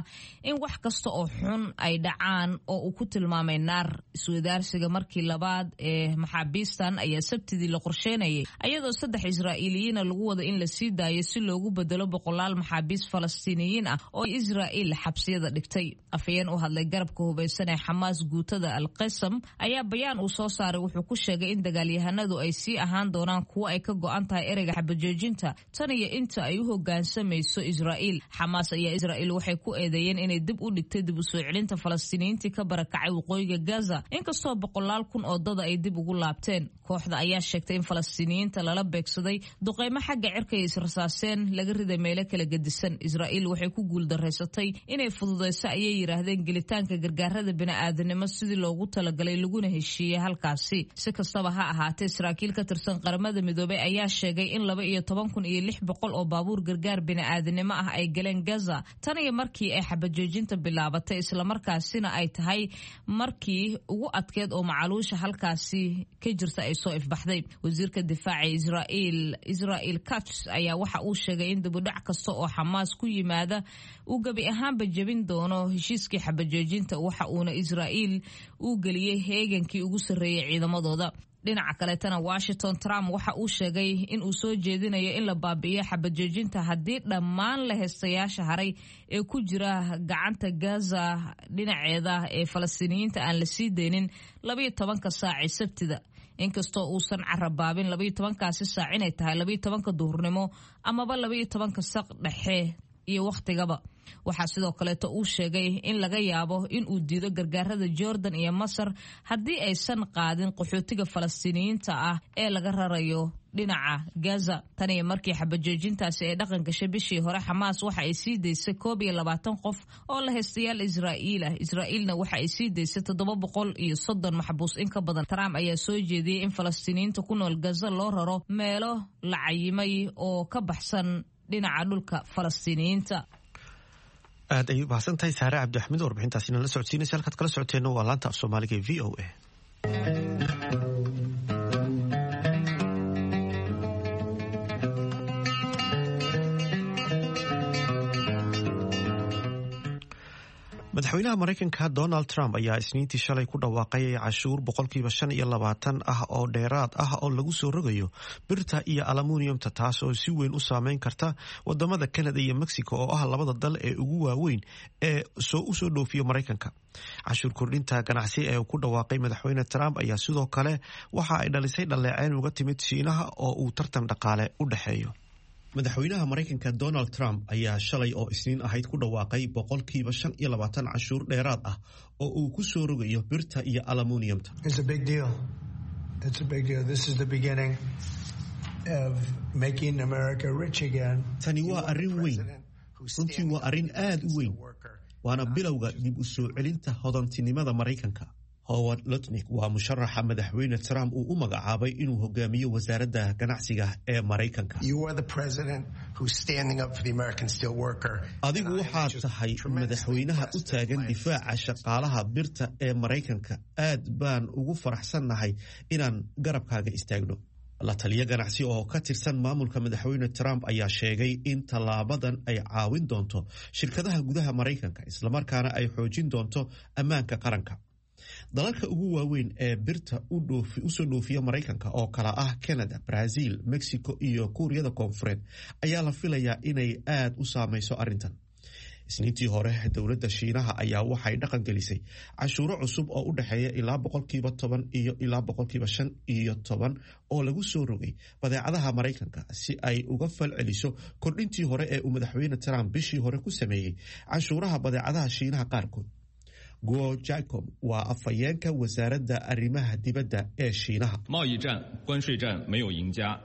Speaker 10: in wax kasta oo xun ay dhacaan oo uu ku tilmaamay naar. Iswadaarsiga markii labaad ee maxaabiistan ayaa Sabtidii la qorsheynayay, ayadoo saddex Israa'iiliyiina lagu wada in la sii daayo si loogu bedelo boqolaal maxaabiis Falastiiniyiin ah oo Israa'iil xabsiyada dhigtay. Afhayeen u hadlay garabka hubeysan ee Xamaas, guutada Al Qasam, ayaa bayaan uu soo saaray wuxuu ku sheegay in dagaalyahanadu ay sii ahaan doonaan kuwo ay ka go'an tahay ereyga xabajoojinta tan iyo inta ay u hogaansamayso Israa'iil. Xamaas ayaa Israa'iil waxay ku eedeeyeen inay dib u dhigtay dib u soo celinta Falastiiniyiintii ka barakacay waqooyiga Gaza, inkastoo boqolaal kun oo dada ay dib ugu laabteen. Kooxda ayaa sheegtay in Falastiiniyiinta lala beegsaday duqeymo xagga cirka ay israsaaseen laga riday meelo kala gedisan. Israa'iil waxay ku guuldareysatay inay fududeyso, ayay yidhaahdeen, gelitaanka gargaarada bini'aadanimo sidii loogu talagalay laguna heshiiyey halkaasi. Si kastaba ha ahaatee, saraakiil ka tirsan Qaramada Midoobay ayaa sheegay in laba iyo toban kun iyo lix boqol oo baabuur gargaar bini'aadanimo ah ay galeen Gaza tan iyo markii ay xabajoojinta bilaabatay, islamarkaasina ay tahay markii ugu adkeed oo macaluusha halkaasi ka jirta ay soo ifbaxday. Wasiirka difaaca Israa'iil Israel Katz ayaa waxa uu sheegay in dibudhac kasta oo Xamaas ku yimaada uu gebi ahaanba jebin doono heshiiskii xabajoojinta, waxa uuna Israa'iil u geliyey heegankii ugu sarreeyey ciidamadooda. Dhinaca kaleetana, Washington, Trump waxa uu sheegay in uu soo jeedinayo in la baabi'iyo xabajoojinta haddii dhammaan la heestayaasha haray ee ku jira gacanta Gaza dhinaceeda ee Falastiiniyiinta aan la sii deynin labayo tobanka saaci Sabtida, inkastoo uusan carabaabin labaiyo tobankaasi saac inay tahay labaiyo tobanka duhurnimo amaba labaiyo tobanka saq dhexe iyo wakhtigaba. Waxaa sidoo kaleeto uu sheegay in laga yaabo in uu diido gargaarada Jordan iyo Masar haddii aysan qaadin qaxootiga Falastiiniyiinta ah ee laga rarayo dhinaca Gaza. Tan iyo markii xabajoojintaasi ay dhaqan gashay bishii hore, Xamaas waxa ay sii daysay koob iyo labaatan qof oo la haystayaal Israa'iil ah. Israa'iilna waxa ay sii daysay toddoba boqol iyo soddon maxbuus in ka badan. Trump ayaa soo jeediyey in Falastiiniyiinta ku nool Gaza loo raro meelo la cayimay oo ka baxsan dhinaca dhulka Falastiiniyiinta.
Speaker 1: Aad ayay u mahadsan tahay Saare Cabdixamiid warbixintaasina la socodsiinaysa. Halkaad kala socoteenna waa laanta af Soomaaliga ee V O A. Madaxweynaha Maraykanka Donald Trump ayaa Isniintii shalay ku dhawaaqay cashuur boqolkiiba shan iyo labaatan ah oo dheeraad ah oo lagu soo rogayo birta iyo aluminiumta, taas oo si weyn u saameyn karta wadamada Canada iyo Mexico oo ah labada dal ee ugu waaweyn ee soo usoo dhoofiyo Maraykanka. Cashuur kordhinta ganacsi ee uu ku dhawaaqay madaxweyne Trump ayaa sidoo kale waxa ay dhalisay dhaleeceyn uga timid Shiinaha oo uu tartan dhaqaale u dhexeeyo. Madaxweynaha Maraykanka Donald Trump ayaa shalay oo Isniin ahayd ku dhawaaqay boqolkiiba shan iyo labaatan cashuur dheeraad ah oo uu ku soo rogayo birta iyo aluminiumta.
Speaker 11: It's a big deal. It's a big deal. This is the beginning of making America rich again.
Speaker 1: Tani waa arrin weyn. Runtii waa arrin aad u weyn. Waana bilowga dib u soo celinta hodantinimada Maraykanka. Howard Lutnick waa musharaxa madaxweyne Trump uu u magacaabay inuu hogaamiyo wasaaradda ganacsiga ee Maraykanka.
Speaker 11: You are the president who's standing up for the American steel worker.
Speaker 1: Adigu waxaad tahay madaxweynaha u taagan difaaca shaqaalaha birta ee Maraykanka. Aad baan ugu faraxsannahay inaan garabkaaga istaagno. La taliyo ganacsi oo ka tirsan maamulka madaxweyne Trump ayaa sheegay in tallaabadan ay caawin doonto shirkadaha gudaha Maraykanka, islamarkaana ay xoojin doonto ammaanka qaranka. Dalalka ugu waaweyn ee birta usoo dhoofiya Maraykanka oo kala ah Canada, Brazil, Mexico iyo Kuuriyada Koonfureed ayaa la filayaa inay aad u saameyso arrintan. Isniintii hore, dowladda Shiinaha ayaa waxay dhaqan gelisay cashuuro cusub oo u dhexeeya ilaa boqolkiiba toban iyo ilaa boqolkiiba shan iyo toban oo lagu soo rogay badeecadaha Maraykanka si ay uga fal celiso kordhintii hore ee uu madaxweyne Trump bishii hore ku sameeyey cashuuraha badeecadaha Shiinaha qaarkood. Guo Jacob waa afhayeenka wasaaradda arrimaha dibadda ee Shiinaha.
Speaker 12: 贸易战、关税战没有赢家，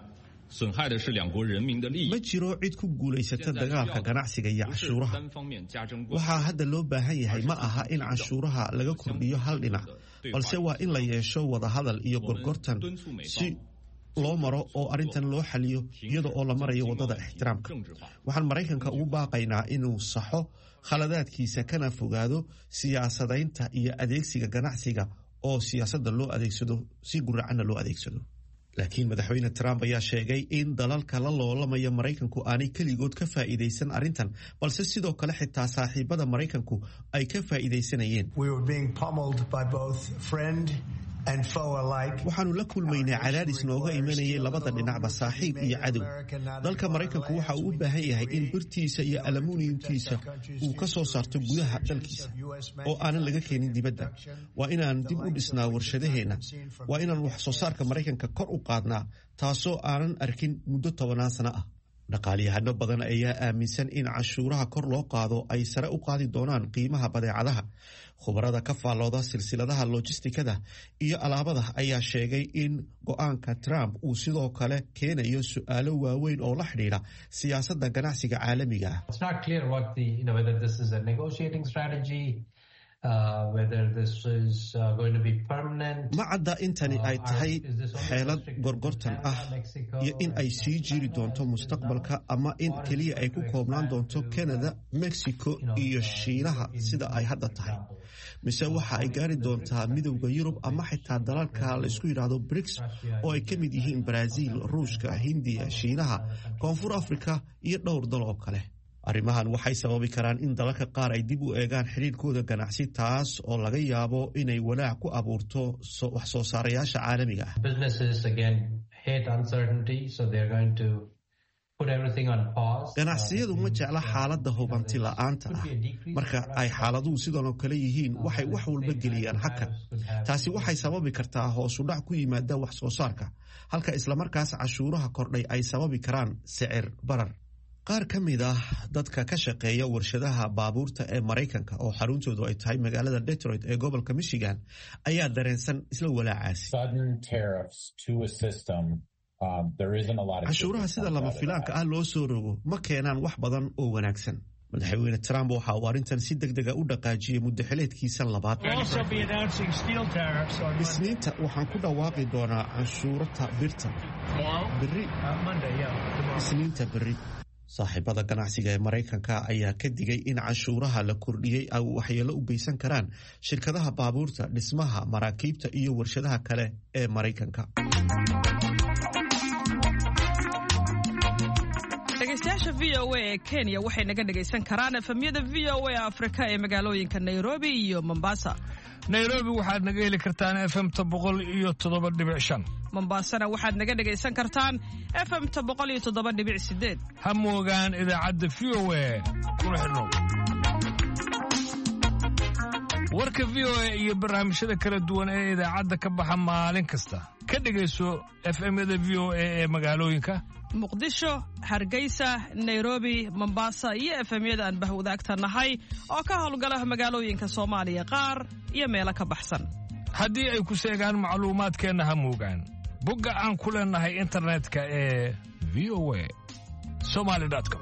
Speaker 12: 损害的是两国人民的利益。
Speaker 1: Ma jiro cid ku guulaysata dagaalka ganacsiga iyo cashuuraha.
Speaker 12: 单方面加征关
Speaker 1: Waxaa hadda loo baahan yahay ma aha in cashuuraha laga kordhiyo hal dhinac, balse waa in la yeesho wadahadal iyo gorgortan si loo maro oo arrintan loo xaliyo iyada oo la marayo waddada ixtiraamka. Waxaan Maraykanka ugu baaqaynaa inuu saxo khaladaadkiisa kana fogaado siyaasadaynta iyo adeegsiga ganacsiga oo siyaasadda loo adeegsado si guracanna loo adeegsado. Laakiin madaxweyne Trump ayaa sheegay in dalalka la loolamaya Maraykanku aanay keligood ka faa'iidaysan arrintan, balse sidoo kale xitaa saaxiibada Maraykanku ay ka faa'iidaysanayeen.
Speaker 11: We were being pummeled by both friend and foe alike.
Speaker 1: Waxaanu la kulmaynay cadaadis nooga imanayay labada dhinacba, saaxiib iyo cadow. Dalka Maraykanku waxa uu u baahan yahay in birtiisa iyo aluminiumtiisa uu ka soo saarto gudaha dalkiisa oo aanan laga keenin dibadda. Waa inaan dib u dhisnaa warshadaheenna. Waa inaan wax soo saarka Maraykanka kor u qaadnaa, taasoo aanan arkin muddo tobanaan sano ah. Dhaqaalyahano badan ayaa aaminsan in cashuuraha kor loo qaado ay sare u qaadi doonaan qiimaha badeecadaha. Khubarada ka faallooda silsiladaha lojistikada iyo alaabada ayaa sheegay in go'aanka Trump uu sidoo kale keenayo su'aalo waaweyn oo la xidhiidha siyaasadda ganacsiga caalamiga ah.
Speaker 13: It's not clear what the, you know, whether this is a negotiating strategy, uh, whether this is uh, going to be permanent.
Speaker 1: Ma cadda intani ay tahay xeelad gorgortan ah iyo in ay sii jiri doonto mustaqbalka, ama in keliya ay ku koobnaan doonto Canada, Mexico iyo Shiinaha sida ay hadda tahay, mise waxa ay gaari doontaa Midowda Yurub ama xitaa dalalka laysku yidhaahdo BRICS oo ay ka mid yihiin Brazil, Ruushka, Hindiya, Shiinaha, Koonfur Afrika iyo dhowr dal oo kale. Arrimahan waxay sababi karaan in dalalka qaar ay dib u eegaan xidhiirkooda ganacsi, taas oo laga yaabo inay walaac ku abuurto wax soo saarayaasha caalamiga ah.
Speaker 13: Businesses again hate uncertainty, so they're going to put everything on pause.
Speaker 1: Ganacsiyadu ma jecla xaaladda hubanti la'aanta ah. Marka ay xaaladuhu sidan oo kale yihiin, waxay wax walba geliyaan hakad. Taasi waxay sababi kartaa hoos u dhac ku yimaada wax soo saarka, halka islamarkaas cashuuraha kordhay ay sababi karaan sicir barar. Qaar ka mid ah dadka ka shaqeeya warshadaha baabuurta ee Maraykanka oo xaruntoodu ay tahay magaalada Detroit ee gobolka Michigan ayaa dareensan isla walaacaasi.
Speaker 14: Sudden tariffs to a system
Speaker 1: Canshuuraha sida lama filaanka ah loo soo rogo ma keenaan wax badan oo wanaagsan. Madaxweyne Trump waxa uu arrintan si deg dega u dhaqaajiyey muddaxileedkiisa labaad. Isniinta waxaan ku dhawaaqi doonaa canshuurta birta berri, isniinta berri. Saaxiibada ganacsiga ee Maraykanka ayaa ka digay in canshuuraha la kordhiyey ay waxyeelo u geysan karaan shirkadaha baabuurta, dhismaha, maraakiibta iyo warshadaha kale ee Maraykanka.
Speaker 9: Dhegeystayaasha V O A ee Kenya waxay naga dhegaysan karaan efemyada V O A Afrika ee magaalooyinka Nairobi iyo Mombasa.
Speaker 14: Nairobi waxaad naga heli kartaan efemta boqol iyo toddoba dhibic shan.
Speaker 9: Mombasana waxaad naga dhegaysan kartaan efemta boqol iyo toddoba dhibic sideed.
Speaker 14: Ha moogaan idaacadda V O A, kuna xidhnow warka V O A iyo barnaamijyada kala duwan ee idaacadda ka baxa maalin kasta. Ka dhegayso efemyada V O A ee magaalooyinka
Speaker 9: Muqdisho, Hargeysa, Nairobi, Mombasa iyo efemyada aan bahwadaagta nahay oo ka howlgala magaalooyinka Soomaaliya qaar iyo meelo ka baxsan.
Speaker 14: Haddii ay ku seegaan macluumaadkeenna, ha moogaan bogga aan ku leenahay internetka ee V O A somali com.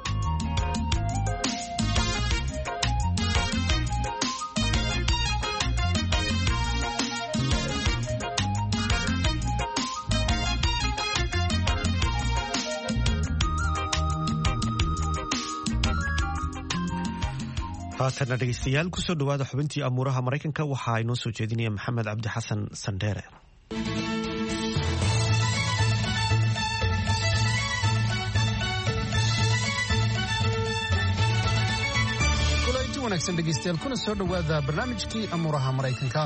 Speaker 1: Haatanna dhegeystayaal, kusoo dhawaada xubintii amuuraha Maraykanka. Waxaa inoo soo jeedinaya Maxamed Cabdi Xasan Sandheere.
Speaker 15: Kulanti wanaagsan dhegeystayaal, kuna soo dhowaada barnaamijkii amuuraha Maraykanka.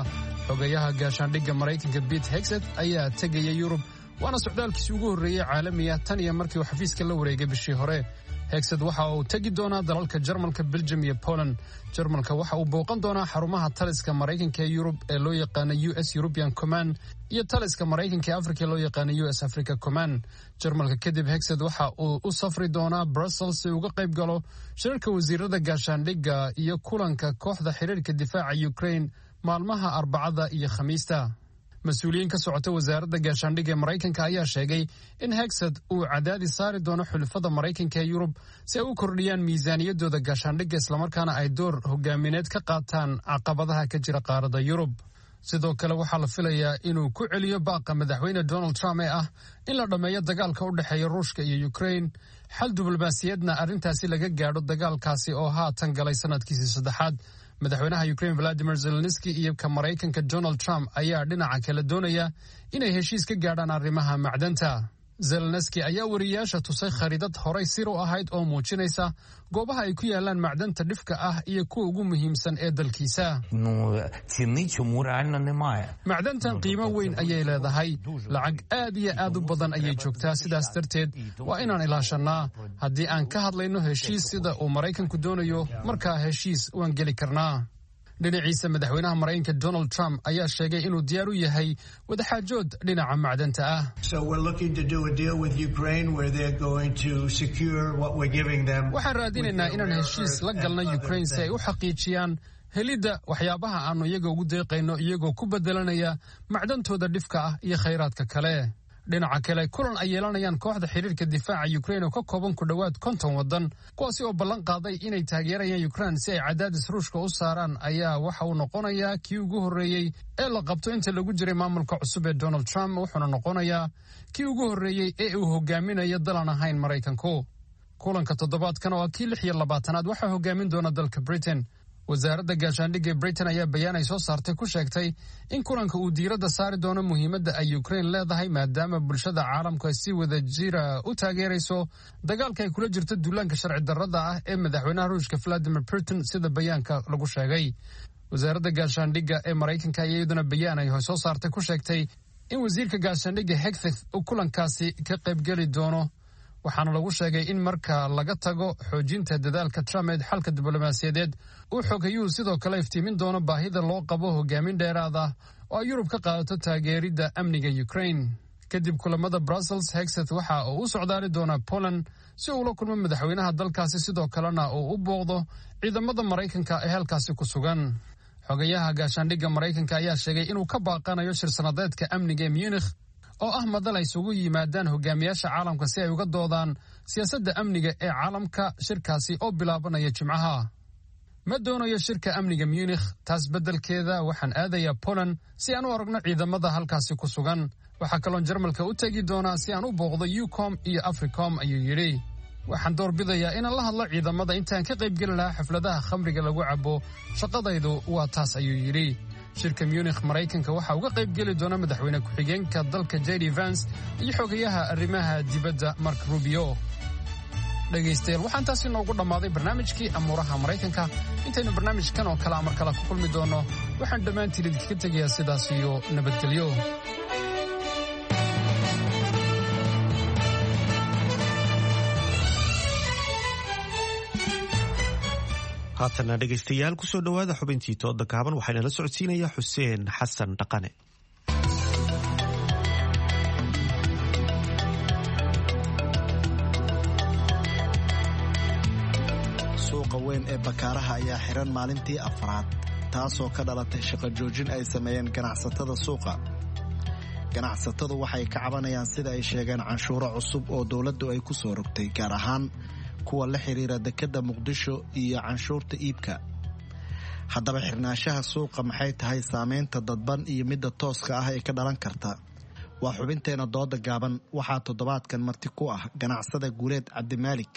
Speaker 15: Xogayaha gaashaandhigga Maraykanka Pete Hegseth ayaa tegaya Yurub, waana socdaalkiisii ugu horreeyey caalamiya tan iyo markii uu xafiiska la wareegay bishii hore. Hegseth waxa uu tegi doonaa dalalka Jarmalka, Belgium iyo Poland. Jarmalka waxa uu booqan doonaa xarumaha taliska Maraykanka ee Yurub ee loo yaqaana U S European Command iyo taliska Maraykanka ee Afrika ee loo yaqaana U S Africa Command. Jarmalka kadib, Hegseth waxa uu u safri doonaa Brussels si uga qayb galo shirarka wasiirada gaashaandhigga iyo kulanka kooxda xiriirka difaaca Ukraine maalmaha Arbacada iyo Khamiista. Mas-uuliyiin ka socota wasaaradda gaashaandhigga ee Maraykanka ayaa sheegay in Hegseth uu cadaadis saari doono xulafada Maraykanka ee Yurub si ay u kordhiyaan miisaaniyaddooda gaashaandhigga, islamarkaana ay door hogaamineed ka qaataan caqabadaha ka jira qaaradda Yurub. Sidoo kale waxaa la filayaa inuu ku celiyo baaqa madaxweyne Donald Trump ee ah in la dhammeeyo dagaalka u dhexeeya Ruushka iyo Ukraine, xal diblomaasiyaedna arrintaasi laga gaadho dagaalkaasi oo haatan galay sanadkiisii saddexaad. Madaxweynaha Ukraine Vladimir Zelenski iyo ka Maraykanka Donald Trump ayaa dhinaca kale doonaya inay heshiis ka gaadhaan arrimaha macdanta. Zelenski ayaa wariyayaasha tusay khariidad horay sir u ahayd oo muujinaysa goobaha ay ku yaalaan macdanta dhifka ah iyo kuwa ugu muhiimsan ee dalkiisa. Macdantan qiimo weyn ayay leedahay, lacag aad iyo aad u badan ayay joogtaa, sidaas darteed waa inaan ilaashanaa. Haddii aan ka hadlayno heshiis sida uu Maraykanku doonayo, markaa heshiis waan geli karnaa. Dhinaciisa, madaxweynaha Maraykanka Donald Trump ayaa sheegay inuu diyaar u yahay wadaxaajood dhinaca macdanta ah. Waxaan raadinaynaa inaan heshiis la galno Ukraine si ay u xaqiijiyaan helidda waxyaabaha aannu iyaga ugu deeqayno, iyagoo ku bedelanaya macdantooda dhifka ah iyo khayraadka kale. Dhinaca kale, kulan ay yeelanayaan kooxda xiriirka difaaca Ukraine oo ka kooban ku dhowaad konton waddan, kuwaasi oo ballan qaaday inay taageerayaan Ukraine si ay cadaadis Ruushka u saaraan, ayaa waxa uu noqonayaa kii ugu horreeyey ee la qabto inta lagu jiray maamulka cusub ee Donald Trump, wuxuuna noqonayaa kii ugu horreeyey ee uu hogaaminayo dalan ahayn Maraykanku. Kulanka toddobaadkan oo ah kii lix iyo labaatanaad waxaa hogaamin doona dalka Britain. Wasaaradda gaashaandhigga Britain ayaa bayaan ay soo saartay ku sheegtay in kulanka uu diiradda saari doono muhiimadda ay Ukraine leedahay, maadaama bulshada caalamku ay si wada jira u taageerayso dagaalka ay kula jirto duulaanka sharci darrada ah ee madaxweynaha Ruushka Vladimir Putin, sida bayaanka lagu sheegay. Wasaaradda gaashaandhigga ee Maraykanka ayaa iyaduna bayaan ay soo saartay ku sheegtay in wasiirka gaashaandhigga Hegseth uu kulankaasi ka qaybgeli doono, waxaana lagu sheegay in marka laga tago xoojinta dadaalka Trump ee xalka diblomaasiyadeed, uu xogayuhu sidoo kale iftiimin doono baahida loo qabo hogaamin dheeraad ah oo ay Yurub ka qaadato taageeridda amniga Ukraine. Kadib kulamada Brussels, Hegseth waxa uu u socdaali doonaa Poland si uu la kulmo madaxweynaha dalkaasi, sidoo kalena uu u booqdo ciidamada Maraykanka ee halkaasi ku sugan. Xogayaha gaashaandhigga Maraykanka ayaa sheegay inuu ka baaqanayo shir sanadeedka amniga ee Munich oo ah madal ay isugu yimaadaan hogaamiyaasha caalamka si ay uga doodaan siyaasadda amniga ee caalamka, shirkaasi oo bilaabanaya Jimcaha. Ma doonayo shirka amniga Munikh, taas beddelkeeda waxaan aadayaa Poland si aan u aragno ciidamada halkaasi ku sugan. Waxaa kaloon Jarmalka u tegi doonaa si aan u booqdo EUCOM iyo AFRICOM, ayuu yidhi. Waxaan doorbidayaa inaan la hadlo ciidamada intaan ka qaybgeli lahaa xafladaha khamriga lagu cabo. Shaqadaydu waa taas, ayuu yidhi. Shirka Munikh Maraykanka waxaa uga qaybgeli doona madaxweyne ku-xigeenka dalka J D Vance iyo xogayaha arrimaha dibadda Mark Rubio. Dhegaystayaal, waxaan taasi noogu dhammaaday barnaamijkii amuuraha Maraykanka. Intaynu barnaamijkan oo kale amar kale ku kulmi doonno, waxaan dhammaantiin idinkaga tegayaa sidaas iyo nabadgelyo.
Speaker 1: Haatana dhegaystayaal, kusoo dhowaada xubintii tooda gaaban. Waxaana la socodsiinaya Xuseen Xasan Dhaqane.
Speaker 16: Suuqa weyn ee Bakaaraha ayaa xiran maalintii afraad, taasoo ka dhalatay shaqo joojin ay sameeyeen ganacsatada suuqa. Ganacsatadu waxay ka cabanayaan, sida ay sheegeen, canshuuro cusub oo dowladdu ay ku soo rogtay, gaar ahaan kuwa la xiriira dekedda Muqdisho iyo canshuurta iibka. Haddaba, xirnaanshaha suuqa maxay tahay saameynta dadban iyo midda tooska ah ee ka dhalan karta? Waa xubinteena dooda gaaban. Waxaa toddobaadkan marti ku ah ganacsada Guuleed Cabdimaalik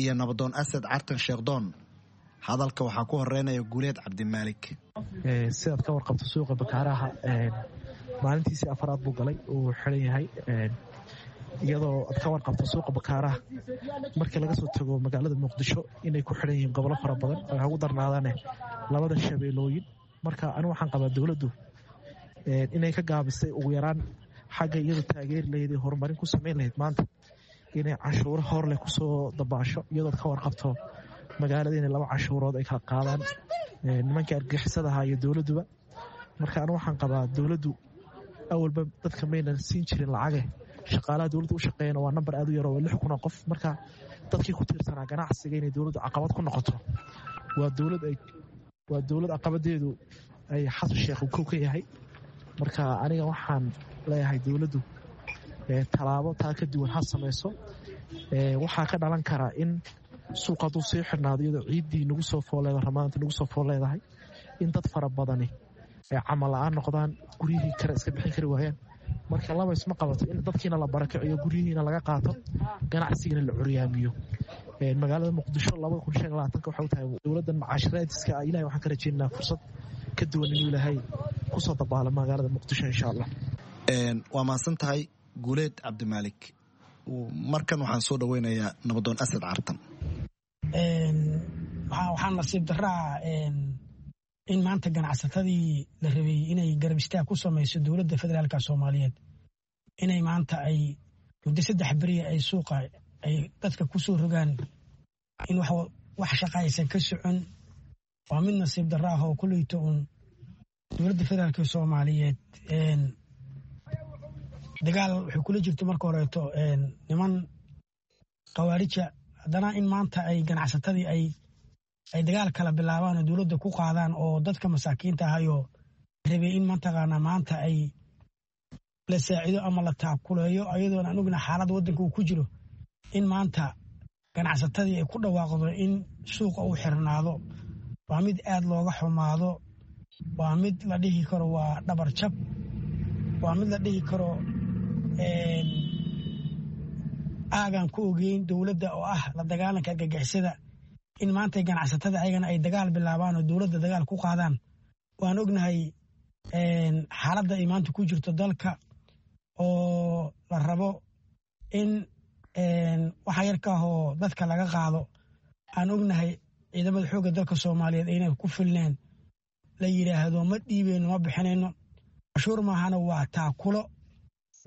Speaker 16: iyo nabadoon Asad Cartan Sheekhdoon. Hadalka waxaa ku horeynaya Guuleed Cabdimaalik.
Speaker 17: Sidaad ka warqabto, suuqa Bakaaraha maalintiisii afaraad buu galay uu xiran yahay, iyadoo aad ka warqabto suuqa Bakaaraha markii laga soo tago magaalada Muqdisho inay ku xiran yihiin gobolo fara badan oo ugu darnaadaane labada shabeelooyin. Marka anigu waxaan qabaa dowladdu inay ka gaabisay ugu yaraan xagga iyadu taageeri lahayd ee horumarin ku samayn lahayd maanta inay canshuuro horleh kusoo dabaasho, iyadood ka warqabto magaalada inay laba canshuurood ay kala qaadaan nimankii argixisadaha iyo dowladduba. Marka anigu waxaan qabaa dowladdu awalba dadka maynan siin jirin lacage. Shaqaalaha dowladda u shaqeeyana waa nambar aad u yar oo lix kun oo qof. Marka dadkii ku tiirsanaa ganacsiga inay dowladdu caqabad ku noqoto, waa dowlad ay waa dowlad caqabadeedu ay Xasan Sheekh uu kow ka yahay. Marka aniga waxaan leeyahay dowladdu tallaabo taa ka duwan ha samayso. Waxaa ka dhalan karaa in suuq hadduu sii xirnaado, iyadoo ciiddii nagu soo foolleeda, Ramadaanta nagu soo fool leedahay, in dad fara badani ay camal la-aan noqdaan, guryihii kale iska bixin kari waayaan. Marka laba isma qabato in dadkiina la barakiciyo, guryihiina laga qaato, ganacsigana la curyaamiyo. Magaalada Muqdisho labada kun shan labaatanka waxay u tahay dowladdan macaashiraadiska ah. Ilahay waxaan ka rajaynaynaa fursad ka duwan inuu Ilaahay kusoo dabaalo magaalada Muqdisho, insha Allah.
Speaker 16: Waa mahadsan tahay, Guuleed Cabdimaalik. Markan waxaan soo dhaweynayaa nabadoon Asad Cartan.
Speaker 18: Waxaa nasiib daraa in maanta ganacsatadii la rabay inay garab istaag ku samayso dowladda federaalka Soomaaliyeed inay maanta ay muddo saddex beriya ay suuqa ay dadka ku soo rogaan in wax shaqa aysan ka socon. Waa mid nasiib darra ah oo kulleyto uun dowladda federaalka Soomaaliyeed dagaal waxay kula jirto marka horeeto niman khawaarija, haddana in maanta ay ganacsatadii ay ay dagaal kala bilaabaan oo dowladda ku qaadaan oo dadka masaakiinta ahayoo rabay in mataqaanaa maanta ay la saacido ama la taakuleeyo, ayadoona anuguna xaaladda waddanka uu ku jiro, in maanta ganacsatadii ay ku dhawaaqdo in suuqa uu xirnaado waa mid aad looga xumaado. Waa mid la dhihi karo waa dhabar jab, waa mid la dhihi karo aagaan ku ogeyn dowladda oo ah la dagaalanka argagixisada in maanta ganacsatada ayagana ay dagaal bilaabaan oo dowladda dagaal ku qaadaan. Waan ognahay xaaladda ay maanta ku jirto dalka oo la rabo in waxa yarka ahoo dadka laga qaado. Aan ognahay ciidamada xoogga dalka Soomaaliyeed aynay ku filneen, la yidhaahdo ma dhiibeyno, ma bixinayno cashuur maahana, waa taakulo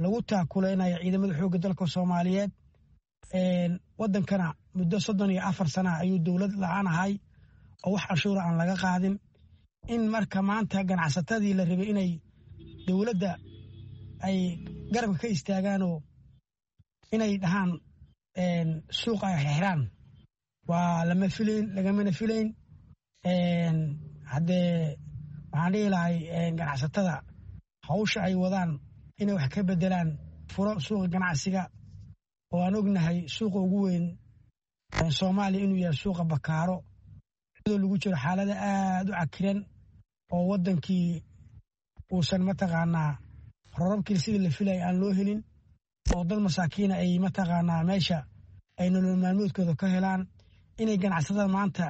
Speaker 18: lagu taakulaynayo ciidamada xoogga dalka Soomaaliyeed. Waddankana muddo soddon iyo afar sana ayuu dowlad la-aan ahay oo wax cashuura aan laga qaadin. In marka maanta ganacsatadii la rabay inay dowladda ay garabka ka istaagaanoo inay dhahaan suuqa ay xirxiraan waa lama filayn, lagamana filayn. Haddee waxaan dhihi lahay ganacsatada hawsha ay wadaan Inay wax ka bedelaan furo suuqa ganacsiga oo aan ognahay suuqa ugu weyn Soomaaliya inuu yahay suuqa Bakaaro, iyadoo lagu jiro xaalada aada u cakiran oo waddankii uusan mataqaanaa rorabkii sidii la filaya aan loo helin, oo dad masaakiina ay mataqaanaa meesha ay nolol maalmoodkooda ka helaan, inay ganacsatada maanta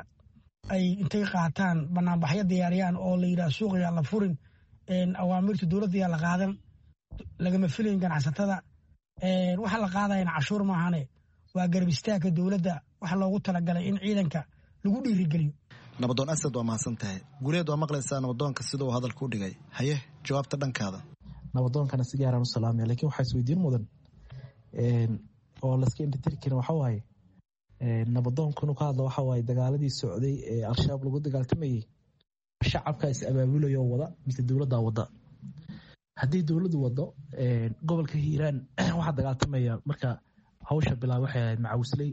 Speaker 18: ay intay qaataan banaanbaxyo diyaariyaan oo la yidhaha suuqa yaa la furin, awaamirta dowladda yaa la qaadan, lagama filayn ganacsatada. Waxa la qaadayana cashuur maahane, waa garab istaagka dowladda waxa loogu talagalay in ciidanka lagu dhiirigeliyo.
Speaker 16: Nabadoon Asad, waa mahadsan tahay. Guuleed, waa maqlaysaa nabadoonka sida uu hadalka u dhigay. Haye, jawaabta dhankaada.
Speaker 17: Nabadoonkana si gaaraan u salaamaya, lakiin waxaa isweydiin mudan oo laska indhatiri karin waxa waaye nabadoonku inuu ka hadlo waxa waaye dagaaladii socday ee Al-Shabaab lagu dagaaltamayey, shacabka is abaabulayo wada mise dowladdaa wada? Haddii dowladdu wado, gobolka Hiiraan waxaa dagaaltamaya marka hawsha bilaab waxay ahayd macawisley,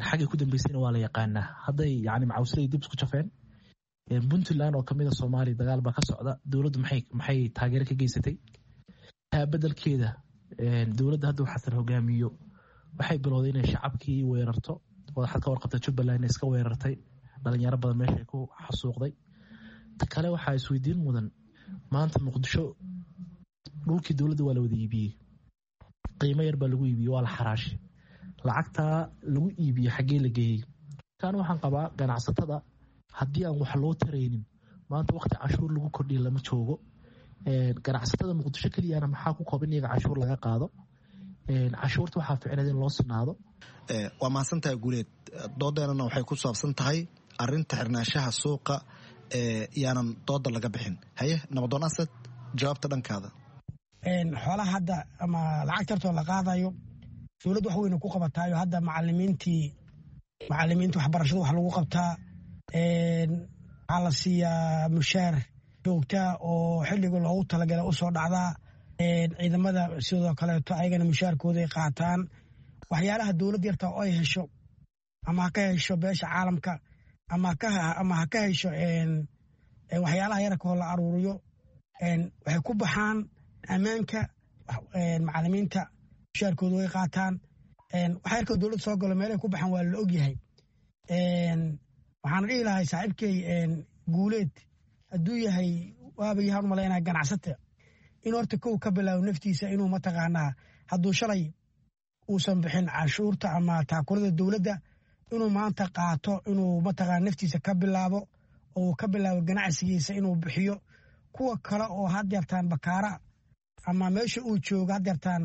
Speaker 17: xaggay ku dambeysayna waa la yaqaanaa. Hadday yani macawisley dib isku jafeen, Puntland oo kamid a Soomaaliya dagaal baa ka socda, dowladdu maxay maxay taageero ka geysatay? Taa bedelkeeda dowladda hadda Xasan hogaamiyo waxay bilowday inay shacabkii weerarto. Waxaad ka warqabta Jubbaland iska weerartay, dhalinyaro badan meeshay ku xasuuqday. Ta kale waxaa isweydiin mudan, maanta Muqdisho dhulkii dowladda waa la wada iibiyey, qiimo yar baa lagu iibiyey, waa la xaraashay. Lacagtaa lagu iibiyey xaggee la geeyey? Kan waxaan qabaa ganacsatada haddii aan wax loo taraynin, maanta waqti cashuur lagu kordhiya lama joogo. Ganacsatada Muqdisho keliyana maxaa ku kooban iyaga cashuur laga qaado? Cashuurta waxaa ficneed in loo sinaado.
Speaker 16: Waa mahadsantahay Guuleed. Doodeenana waxay ku saabsan tahay arinta xirnaanshaha suuqa, yaanan dooda laga bixin. Haye, nabadoon Asad, jawaabta dhankaada.
Speaker 18: Xoolaha hadda ama lacag tartoo la qaadayo dowladdu wax weyna ku qabataayo. Hadda macalimiintii macalimiinta waxbarashada wax lagu qabtaa, waxaa la siiyaa mushaar joogtaa oo xilliga loogu talagalay usoo dhacdaa. Ciidamada sidoo kaleeto ayagana mushaarkooday qaataan. Waxyaalaha dowladd yarta oo ay hesho, ama ha ka hesho beesha caalamka ama ama ha ka hesho waxyaalaha yararkoo la aruuriyo, waxay ku baxaan ammaanka. Macalimiinta mushaarkooda way qaataan. Waxa yarkoo dowladda soo galo meelay ku baxaan waa la ogyahay. Waxaana dhihi lahay saaxiibkey Guuleed, hadduu yahay waaba yahaan umalaynaa ganacsata, in horta kow ka bilaabo naftiisa inuu mataqaanaa hadduu shalay uusan bixin canshuurta ama taakulada dowladda, inuu maanta qaato, inuu mataqaana naftiisa ka bilaabo oo uu ka bilaabo ganacsigiisa inuu bixiyo. Kuwa kale oo haddeertaan bakaara ama meesha uu joogo haddeertaan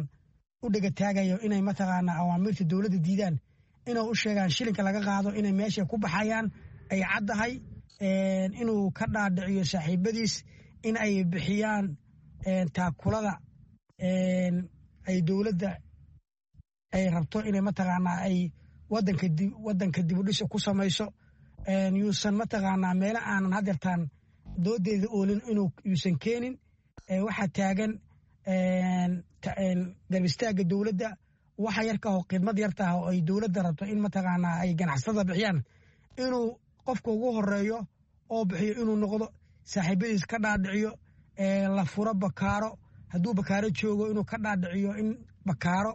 Speaker 18: u dhegataagayo inay mataqaanaa awaamiirta dowladda diidaan, inay u sheegaan shilinka laga qaado inay meesha ku baxayaan ay caddahay, inuu ka dhaadhiciyo saaxiibadiis in ay bixiyaan taakulada ay dowladda ay rabto inay mataqaanaa ay wadanka wadanka dibudhisa ku samayso. Yuusan mataqaanaa meelo aanan haddeertaan doodeeda oolin inuu yuusan keenin. Waxaa taagan garab istaagga dowladda, waxa yarkaho khidmad yartaah oo ay dowladda rabto in mataqaanaa ay ganacsatada bixiyaan, inuu qofka ugu horeeyo oo bixiyo inuu noqdo, saaxiibadiis ka dhaadhiciyo la furo bakaaro. Hadduu bakaaro joogo inuu ka dhaadhiciyo in bakaaro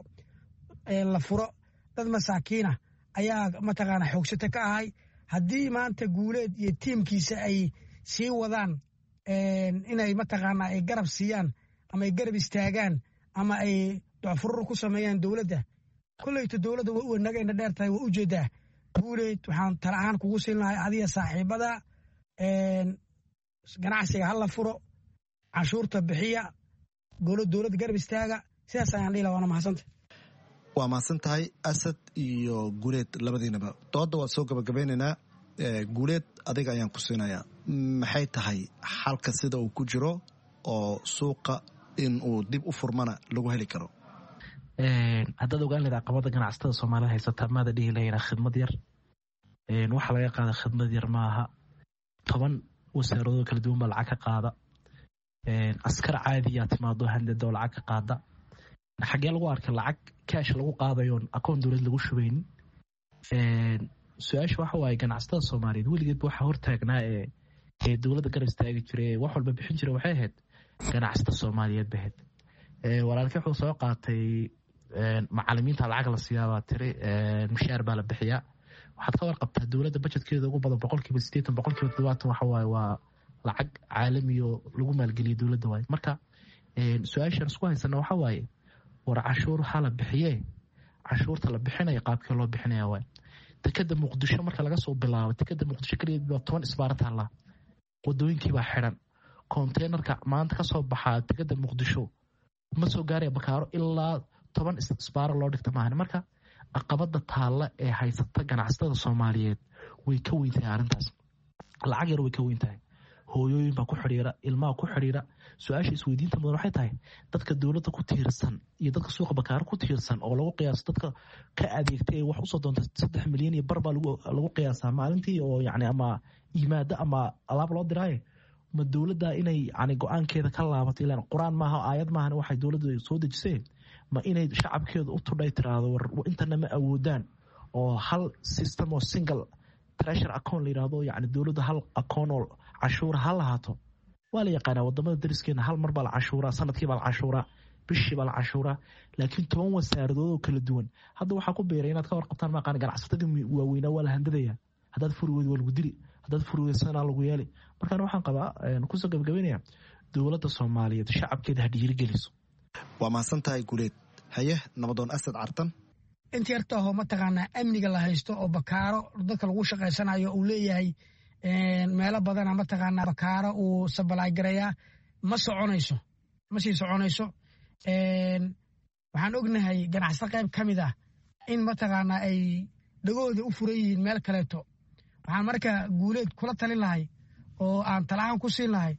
Speaker 18: la furo. Dad masaakiina ayaa mataqaanaa xoogsata ka ahay. Haddii maanta Guuleed iyo tiimkiisa ay sii wadaan inay mataqaanaa ay garab siiyaan ama ay garab istaagaan ama ay docfurur ku sameeyaan dowladda, kolleyta dowladda way nagayna dheer tahay, waa ujeedaa. Guuleed, waxaan tala ahaan kugu siin lahay adiga saaxiibada, ganacsiga ha la furo, canshuurta bixiya, golo dowladda garab istaaga. Sidaas ayaan dhihi laha, waana mahadsanta.
Speaker 16: Waa mahadsan tahay Asad iyo Guuleed labadiinaba. Dooda waa soo gabagabeynaynaa. Guuleed, adiga ayaan ku siinayaa, maxay tahay xalka sida uu ku jiro oo suuqa in uu dib u furmana lagu heli karo?
Speaker 17: Haddaad ogaan lahayd caqabada ganacsatada Soomaalida haysata, maada dhihi lahayna khidmad yar waxa laga qaada. Khidmad yar maaha, toban wasaaradoo kala duwan baa lacag ka qaada. Askar caadiyaa timaado handada oo lacag ka qaada. Xaggee lagu arkay lacag kaash lagu qaadayoon akoon dowlad lagu shubaynin? Su-aasha waxa waaye, ganacsatada Soomaaliyeed weligeedba waxaa hortaagnaa ee ee dowladda garab istaagi jiray ee wax walba bixin jiray waxay ahayd ganacsatada Soomaaliyeed ba ahayd. Walaalkii wuxuu soo qaatay macalimiinta lacag la siyaabaa tiri, mushaar baa la bixiyaa. Waxaad ka warqabtaa dowladda bajetkeeda ugu badan boqolkiiba sideetan, boqolkiiba toddobaatan waxa waaye waa lacag caalamiyo lagu maalgeliyo dowladda waaye. Marka su-aashaan isku haysana waxa waaye, war cashuur waxaa la bixiyee, cashuurta la bixinaya qaabkee loo bixinaya waaye. Dekeda Muqdisho marka laga soo bilaabo, dekeda Muqdisho keligeed baa toban isbaara taallaa, wadooyinkiibaa xiran. Konteynerka maanta kasoo baxaa dekeda Muqdisho ma soo gaaraya Bakaaro ilaa toban isbaaro loo dhigta maahan. Marka caqabada taalla ee haysata ganacsatada Soomaaliyeed way ka weyn tahay arrintaas, lacag yar way ka weyn tahay. Hooyooyin baa ku xidhiira, ilmaha ku xidhiira. Su-aasha isweydiinta mudan waxay tahay, dadka dowladda ku tiirsan iyo dadka suuqa Bakaaro ku tiirsan oo lagu qiyaaso dadka ka adeegtay ee wax usoo doonta saddex milyan iyo bar baa lagu qiyaasaa maalintii, oo yacni ama yimaado ama alaab loo diraaye, ma dowladda inay yani go-aankeeda ka laabato? Ilaan qur-aan maaha, aayad maahan waxay dowladda soo dejisee. Ma inay shacabkeeda u tudhay tiraahdo war intana ma awoodaan, oo hal system oo single treasure account la yidhaahdo, yacni dowladda hal account oo cashuura ha lahaato? Waa la yaqaanaa wadamada dariskeena, hal mar baa la cashuuraa, sanadkii baa la cashuuraa, bishii baa la cashuuraa, laakiin toban wasaaradood oo kala duwan hadda waxaa ku biiray inaad ka warqabtaan maaqaan. Ganacsatadii waaweynaa waa la handadaya, haddaad furi weydo waa lagu dili, haddaad furi weydo sanaa lagu yeeli. Markaan waxaan qabaa kusoo gabagabeynaya, dowladda Soomaaliyeed shacabkeeda ha dhiirigeliso.
Speaker 16: Waa mahadsan tahay Guuleed. Haye, Nabadoon Asad Cartan.
Speaker 18: Inta yartaahoo mataqaanaa amniga la haysto oo Bakaaro dadka lagu shaqaysanayo uu leeyahay meelo badana mataqaanaa Bakaaro uu sabalaagareeyaa, ma soconayso, ma sii soconayso. Waxaan ognahay ganacsato qayb ka mid ah in mataqaanaa ay dhagooda u furan yihiin meel kaleeto. Waxaan marka Guuleed kula talin lahay oo aan talahaan ku siin lahay,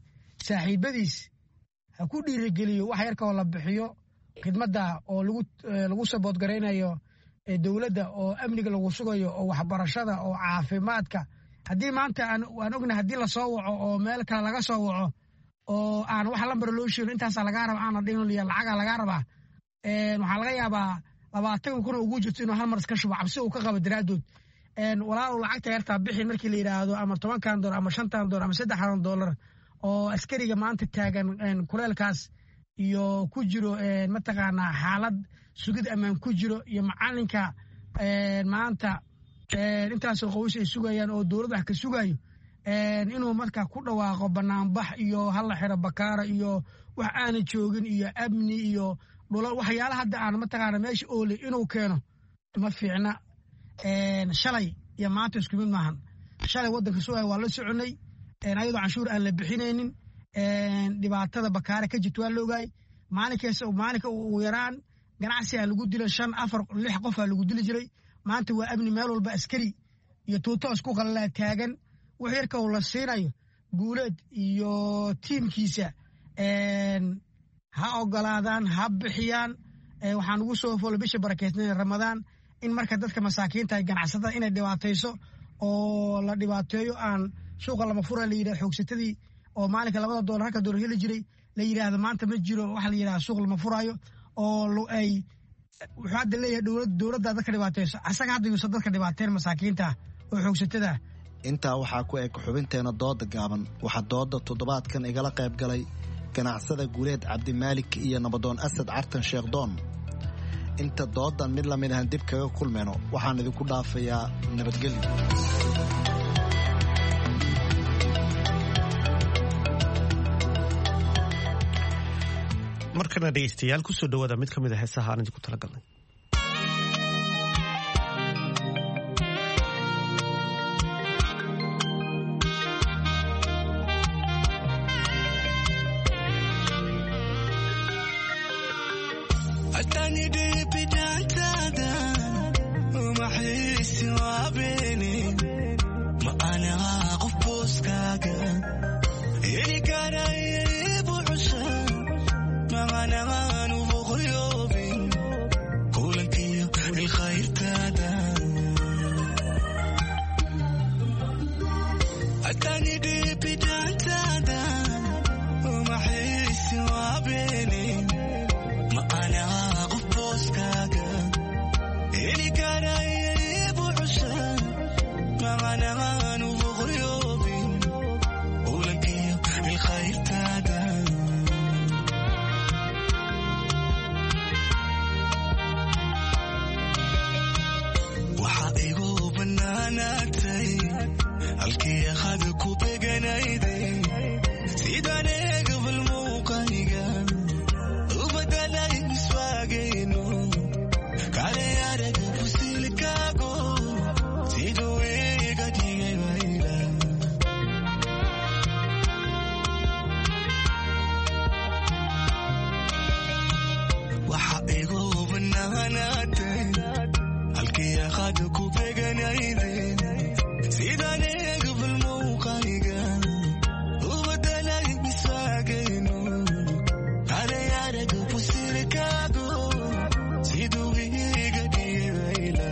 Speaker 18: saaxiibadiis ha ku dhiirigeliyo wax yarka oo la bixiyo khidmadda oo lagu lagu saboodgaraynayo dowladda oo amniga lagu sugayo oo waxbarashada oo caafimaadka. Haddii maanta aan ognahay haddii lasoo waco oo meel kale laga soo waco oo aan wax lambar loo sheegin, intaasaa lagaa raba aana dhihin, lacagaa lagaa rabaa, waxaa laga yaabaa labaatan kun ugu jirto inuu hal mar iska shubo cabsi uu ka qabo daraaddood. Walaalow lacagta yartaa bixi markii la yidhaahdo, ama tobankan doolar ama shantan doolar ama saddexdan doolar oo askariga maanta taagan kuleelkaas iyo ku jiro mataqaanaa xaalad sugid ammaan ku jiro, iyo macalinka maanta intaasoo qoys ay sugayaan oo dowlad wax ka sugayo, inuu marka ku dhawaaqo banaanbax iyo hala xiro Bakaara iyo wax aanan joogin iyo amni iyo dhula waxyaala hadda aan mataqaana meesha oole inuu keeno ma fiicna. Shalay iyo maanta isku mid maahan. Shalay waddanka sugaya waa la soconay ayadoo canshuur aan la bixinaynin, dhibaatada Bakaare ka jirta waa la ogaay. Maalinkaas maalinka ugu yaraan ganacsigaa lagu dila shan, afar, lix qofaa lagu dili jiray. Maanta waa amni, meel walba askari iyo tuuto isku qalalaa taagan. Wax yarka uu la siinayo Guuleed iyo tiimkiisa ha ogolaadaan, ha bixiyaan. Waxaan ugu soo foolo bisha barakeysnay Ramadaan in marka dadka masaakiinta ganacsatada inay dhibaatayso oo la dhibaateeyo, aan suuqa lama fura la yidhahdo, xoogsatadii oo maalinka labada doolar halka doolar heli jiray la yidhaahdo maanta ma jiro waxa la yidhahdo suuq lama furaayo, oo ay wuxuu hadda leeyahay dowlad dowladda dadka dhibaatayso, asaga hadda yuusan dadka dhibaateen masaakiinta oo xoogsatada.
Speaker 16: Intaa waxaa ku eg xubinteena dooda gaaban. Waxaa dooda toddobaadkan igala qayb galay ganacsada Guuleed Cabdimaalik iyo Nabadoon Asad Cartan Sheekhdoon. Inta doodan mid lamid ahan dib kaga kulmayno, waxaan idinku dhaafayaa nabadgelyo.
Speaker 1: Markana dhegeystayaal, kusoo dhawaada mid ka mid a heesaha aan idinku talagalnay.
Speaker 19: Halkii aad ku beganayde sidaan eegabal muuqayga u badalay miswaagayno kale araga fusilkaago siduu iga dhigay wayla. Waxa igu banaanaatay halkii aad ku beganayde sidaan eegabal muuqayga u badalay miswaagayno kale araga fusilkaago siduu iga dhigay wayla.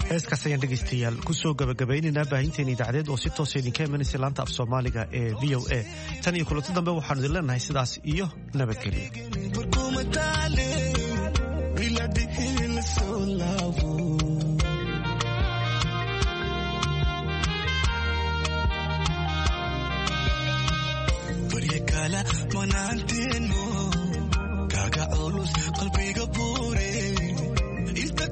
Speaker 1: Heeskaas ayaan dhegaystayaal kusoo gabagabaynaynaa baahinteena idaacadeed oo si toosa idinka imanaysa laanta af soomaaliga ee V O A. Tan iyo kulanti dambe waxaanu idin leenahay sidaas iyo nabadgelyo.
Speaker 19: Kaga culus qalbiga buure inta